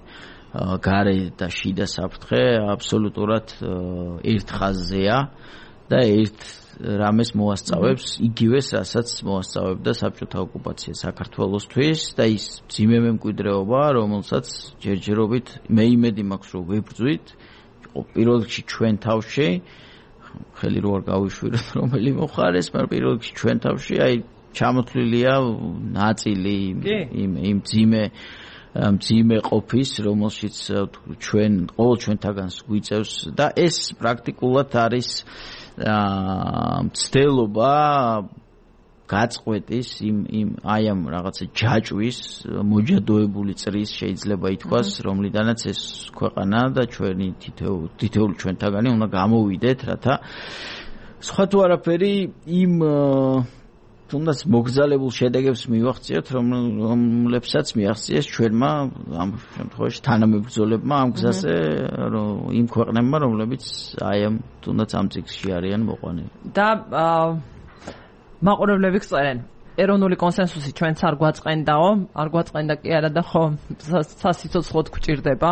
გარე და შიდა საფრთხე აბსოლუტურად ერთ ხაზზეა და ერთ რამეს მოასწავებს იგივეს, რასაც მოასწავებდა საბჭოთა ოკუპაცია საქართველოსთვის და ის მძიმე მემკვიდრეობა, რომელსაც ჯერჯერობით მე იმედი მაქვს, რომ ვებრძვით პირველ რიგში ჩვენ თავში, ხელი რო არ გავიშვიროთ რომელი მოხარეს, მაგრამ პირველ რიგში ჩვენ თავში აი ჩამოთვლილია ნაწილი იმ მძიმე ყოფის, რომელშიც ჩვენ ყოველ ჩვენთაგანს გვიწევს და ეს პრაქტიკულად არის მცდელობა გაწყვეტის იმ აი ამ რაღაცა ჯაჭვის მოჯადოებული წრის შეიძლება ითქვას, რომლიდანაც ეს ქვეყანა და ჩვენი თითოეული ჩვენთაგანი უნდა გამოვიდეთ, რათა სხვა თუ არაფერი იმ თუნდაც მოგზალებულ შედეგებს მივახციოთ, რომლებსაც მიაღწიეს ჩვენმა ამ შემთხვევაში თანამებრძოლებმა ამ გზაზე იმ ქვეყნებმა, რომლებიც აი ამ თუნდაც ამ წიგნში არიან მოყვანილი. და მაყურებლები გწერენ, ეროვნული კონსენსუსი ჩვენც არ გვაწყენდაო, არ გვაწყენდა კი არა და ხო სასიცოცხლოდ გვჭირდება.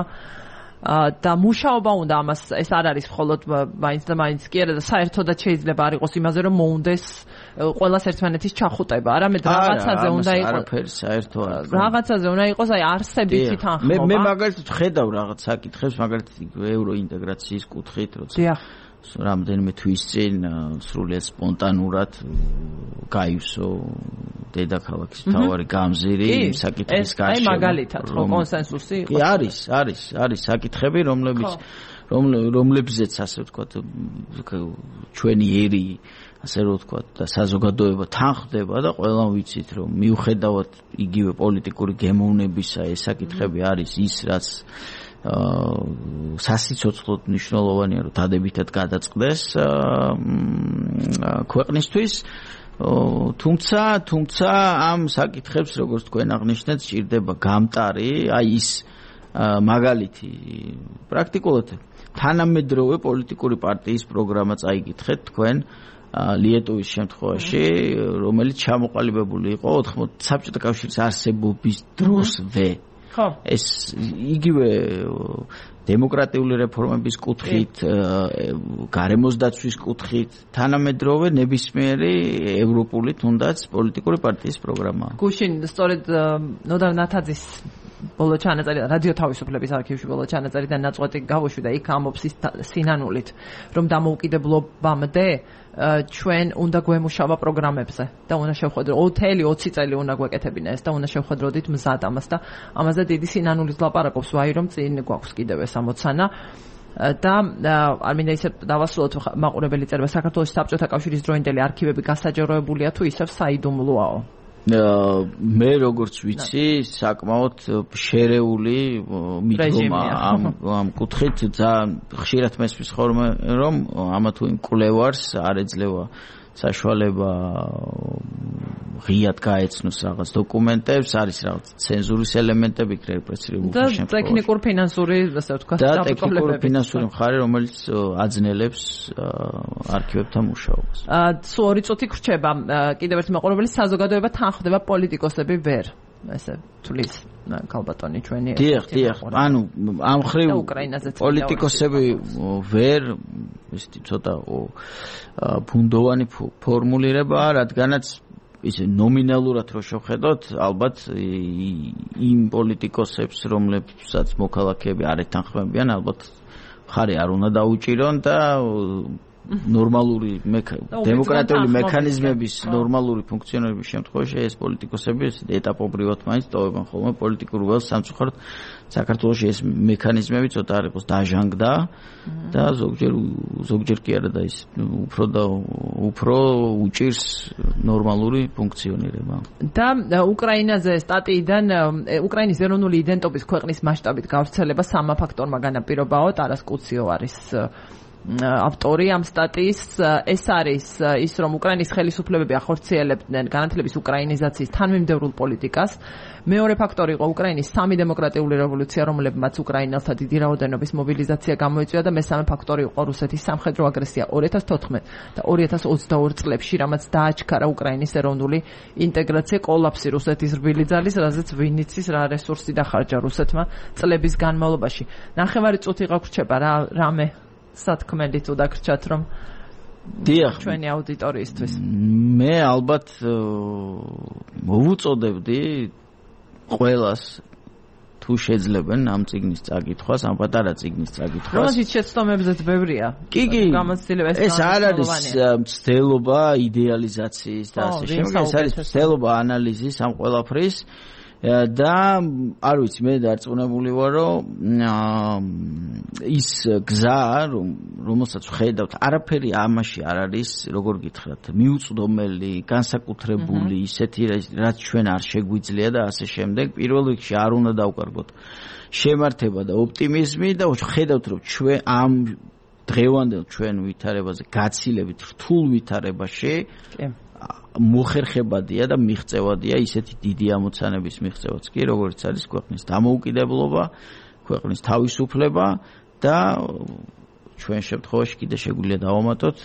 და მუშაობა უნდა ამას ეს არ არის მხოლოდ მაინც და მაინც კი არა და საერთოდაც შეიძლება არ იყოს იმაზე რომ მოუნდეს ყველას ერთმანეთის ჩახუტება არამედ რაღაცაზე უნდა იყოს არაფერი საერთო არ რაღაცაზე უნდა იყოს აი არსებითი თანხმობა მე მაგალითად ხედავ რაღაც საკითხებს მაგალითად ევროინტეგრაციის კუთხით როცა რამდენიმე თვის წინ სრულიად სპონტანურად გაივსო დედაქალაქის მთავარი გამზირი საკითხის გარშემო. აი მაგალითად ხო კონსენსუსი იყო. არის საკითხები, რომლებზეც ასე ვთქვათ ჩვენი ერი ასე ვთქვათ და საზოგადოება თანხდება და ყველამ ვიცით რომ მიუხედავად იგივე პოლიტიკური გემოვნებისა ეს საკითხები არის ის რაც სასიცოცხლოდ მნიშვნელოვანია რომ დადებითად გადაწყდეს ქვეყნისთვის თუმცა ამ საკითხებს როგორც თქვენ აღნიშნეთ სჭირდება გამტარი აი ის მაგალითი პრაქტიკულად თანამედროვე პოლიტიკური პარტიის პროგრამა წაიკითხეთ თქვენ ლიეტოვის შემთხვევაში რომელიც ჩამოყალიბებული იყო 80 საბჭოთა კავშირის არსებობის დროსვე ეს იგივე დემოკრატიული რეფორმების კუთხით, გარემოს დაცვის კუთხით, თანამედროვე ნებისმიერი ევროპული თუნდაც პოლიტიკური პარტიის პროგრამაა. გუშინ სწორედ ნოდარ ნათაძის ბოლო ჩანაწერი რადიო თავისუფლების არქივში ბოლო ჩანაწერი და ნაწყვეტი გავუშვიდა იქ ამობს სინანულით რომ დამოუკიდებლობამდე ჩვენ უნდა გვემუშავა პროგრამებზე და უნდა შევხვედროთ 20 წელი უნდა გვეკეთებინა ეს და უნდა შევხვედროდით მზად ამას და ამაზე დიდი სინანულით ლაპარაკობს ვაი რომ წინ გვაქვს კიდევ ეს ამოცანა და არ მინდა ისე დავასრულოთ მაყურებელი წერება საქართველოს საბჭოთა კავშირის დროინდელი არქივები გასაჯაროებულია თუ ისევ საიდუმლოაო მე როგორც ვიცი საკმაოდ შერეული მიდგომა ამ კუთხით ძალიან ხშირად მესმის ხოლმე რომ ამა თუ იმ კვლევარს არ ეძლევა საშუალება ღიად გაეცნოს რაღაც დოკუმენტებს არის რაღაც ცენზურის ელემენტები რეპრესიული და შემთხვევაში ტექნიკურ ფინანსური ასე ვთქვათ და ტექნიკურ ფინანსური მხარე რომელიც აძნელებს არქივებთან მუშაობას სულ 2 წუთი გრჩება კიდევ ერთი მაყურებელი საზოგადოება თანხდება პოლიტიკოსები ვერ ესე თulis კალბატონი ჩვენი დიახ ანუ ამ ხრივ პოლიტიკოსები ვერ ისეთი ცოტა ბუნდოვანი ფორმულირებაა რადგანაც ისე ნომინალურად რო შევხედოთ ალბათ იმ პოლიტიკოსებს რომლებსაც მოქალაქეები არ ეთანხმებიან ალბათ ხარი არ უნდა დაუჭირონ და ნორმალური დემოკრატიული მექანიზმების ნორმალური ფუნქციონირების შემთხვევაში ეს პოლიტიკოსები ეტაპობრივად მაინც ტოვებენ ხოლმე პოლიტიკურ ველს სამწუხაროდ საქართველოში ეს მექანიზმები ცოტა არ იყოს დაჟანგდა და ზოგჯერ კი არა და ის უფრო უჭირს ნორმალური ფუნქციონირება და უკრაინაზე სტატიიდან უკრაინის ეროვნული იდენტობის ქვეყნის მასშტაბით გავრცელება სამა ფაქტორმა განაპირობაო ტარას კუციო არის ავტორი ამ სტატიის ეს არის ის რომ უკრაინის ხელისუფლებები ახორციელებდნენ განათლების უკრაინიზაციის თანმიმდევრულ პოლიტიკას მეორე ფაქტორი იყო უკრაინის სამი დემოკრატიული რევოლუცია რომლებმაც უკრაინელთა დიდი რაოდენობის მობილიზაცია გამოიწვია და მესამე ფაქტორი იყო რუსეთის სამხედრო აგრესია 2014 და 2022 წლებში რამაც დააჩქარა უკრაინის ეროვნული ინტეგრაცია კოლაფსი რუსეთის რბილი ძალის რაზეც ვინიცის რა რესურსი დახარჯა რუსეთმა წლების განმავლობაში ნახევარი წუთი გაგვრჩება რამე სათქმელი თუ დაგრჩათ რომ დიახ ჩვენი აუდიტორიისთვის მე ალბათ მოვუწოდებდი ყველას თუ შეძლებენ ამ წიგნის წაკითხვას, ამ პატარა წიგნის წაკითხვას. რომელშიც შეცდომებზეც ბევრია. კი, გამოცდილება ეს არ არის მცდელობა იდეალიზაციის და ასე შემდეგ, ეს არის მცდელობა ანალიზის ამ ყველაფრის და არ ვიცი მე დარწმუნებული ვარ რომ ის გზა რომელსაც ვხედავთ არაფერი ამაში არ არის როგორ გითხრათ მიუწვდომელი განსაკუთრებული ისეთი რაც ჩვენ არ შეგვიძლია და ასე შემდეგ პირველ რიგში არ უნდა დავკარგოთ შემართება და ოპტიმიზმი და ხედავთ რომ ჩვენ ამ დღევანდელ ჩვენ ვითარებაზე გაცილებით რთულ ვითარებაში მოხერხებადია და მიღწევადია ისეთი დიდი ამოცანების მიღწევაც კი როგორც არის ქვეყნის დამოუკიდებლობა, ქვეყნის თავისუფლება და ჩვენ შემთხვევაში კიდე შეგვიძლია დავამატოთ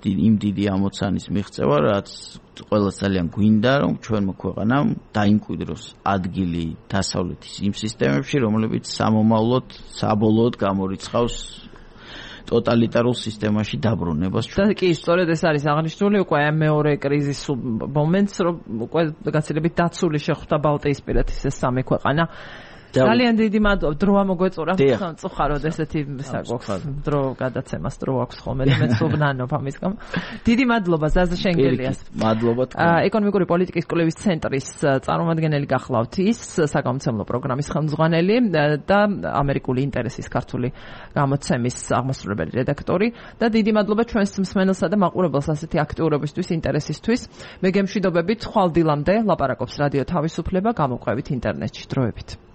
იმ დიდი ამოცანის მიღწევა, რაც ყველას ძალიან გვინდა, რომ ჩვენმა ქვეყანამ დაიმკვიდროს ადგილი დასავლეთის იმ სისტემებში, რომლებიც სამომავლოდ საბოლოოდ გამორიცხავს ტოტალიტარულ სისტემაში დაბრუნებას. და კი, სწორედ ეს არის აღნიშნული უკვე ამ მეორე კრიზისულ მომენტს, რომ უკვე გაცილებით დაცული შეხვდა ბალტიისპირეთის ეს სამი ქვეყანა. ძალიან დიდი მადლობა, დრო ამოგვეწურა, წუხაროდ ესეთი საგვაქვს, დრო გადაცემას დრო აქვს ხოლმე, მეც ვუბნანობ ამის გამო. დიდი მადლობა ზაზა შენგელიას. მადლობა თქვენ. ეკონომიკური პოლიტიკის კვლევის ცენტრის წარმომადგენელი გახლავთ ის, საგამომცემლო პროგრამის ხელმძღვანელი და ამერიკული ინტერესის ქართული გამოცემის აღმასრულებელი რედაქტორი და დიდი მადლობა ჩვენს მსმენელსა და მაყურებელს ასეთი აქტიურობისთვის, ინტერესისთვის. მე გემშვიდობებით ხვალ დილამდე ლაპარაკობს რადიო თავისუფლება, გამოყვებით ინტერნეტში. დროებით.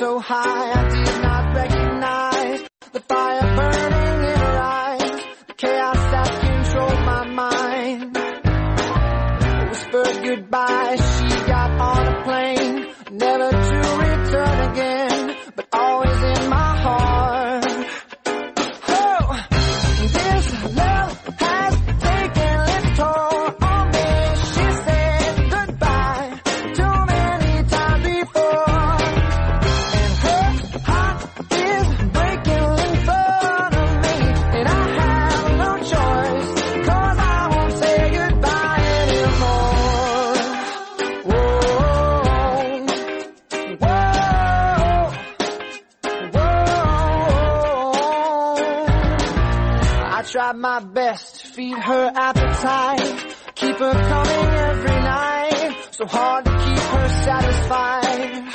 So high, I did not recognize the fire burning in her eyes, the chaos that controlled my mind. Whispered goodbye, she got on a plane, never to return again, but always in my heart. Oh, this love has taken its toll on me. She said goodbye too many times before. Tried my best to feed her appetite, keep her coming every night, so hard to keep her satisfied.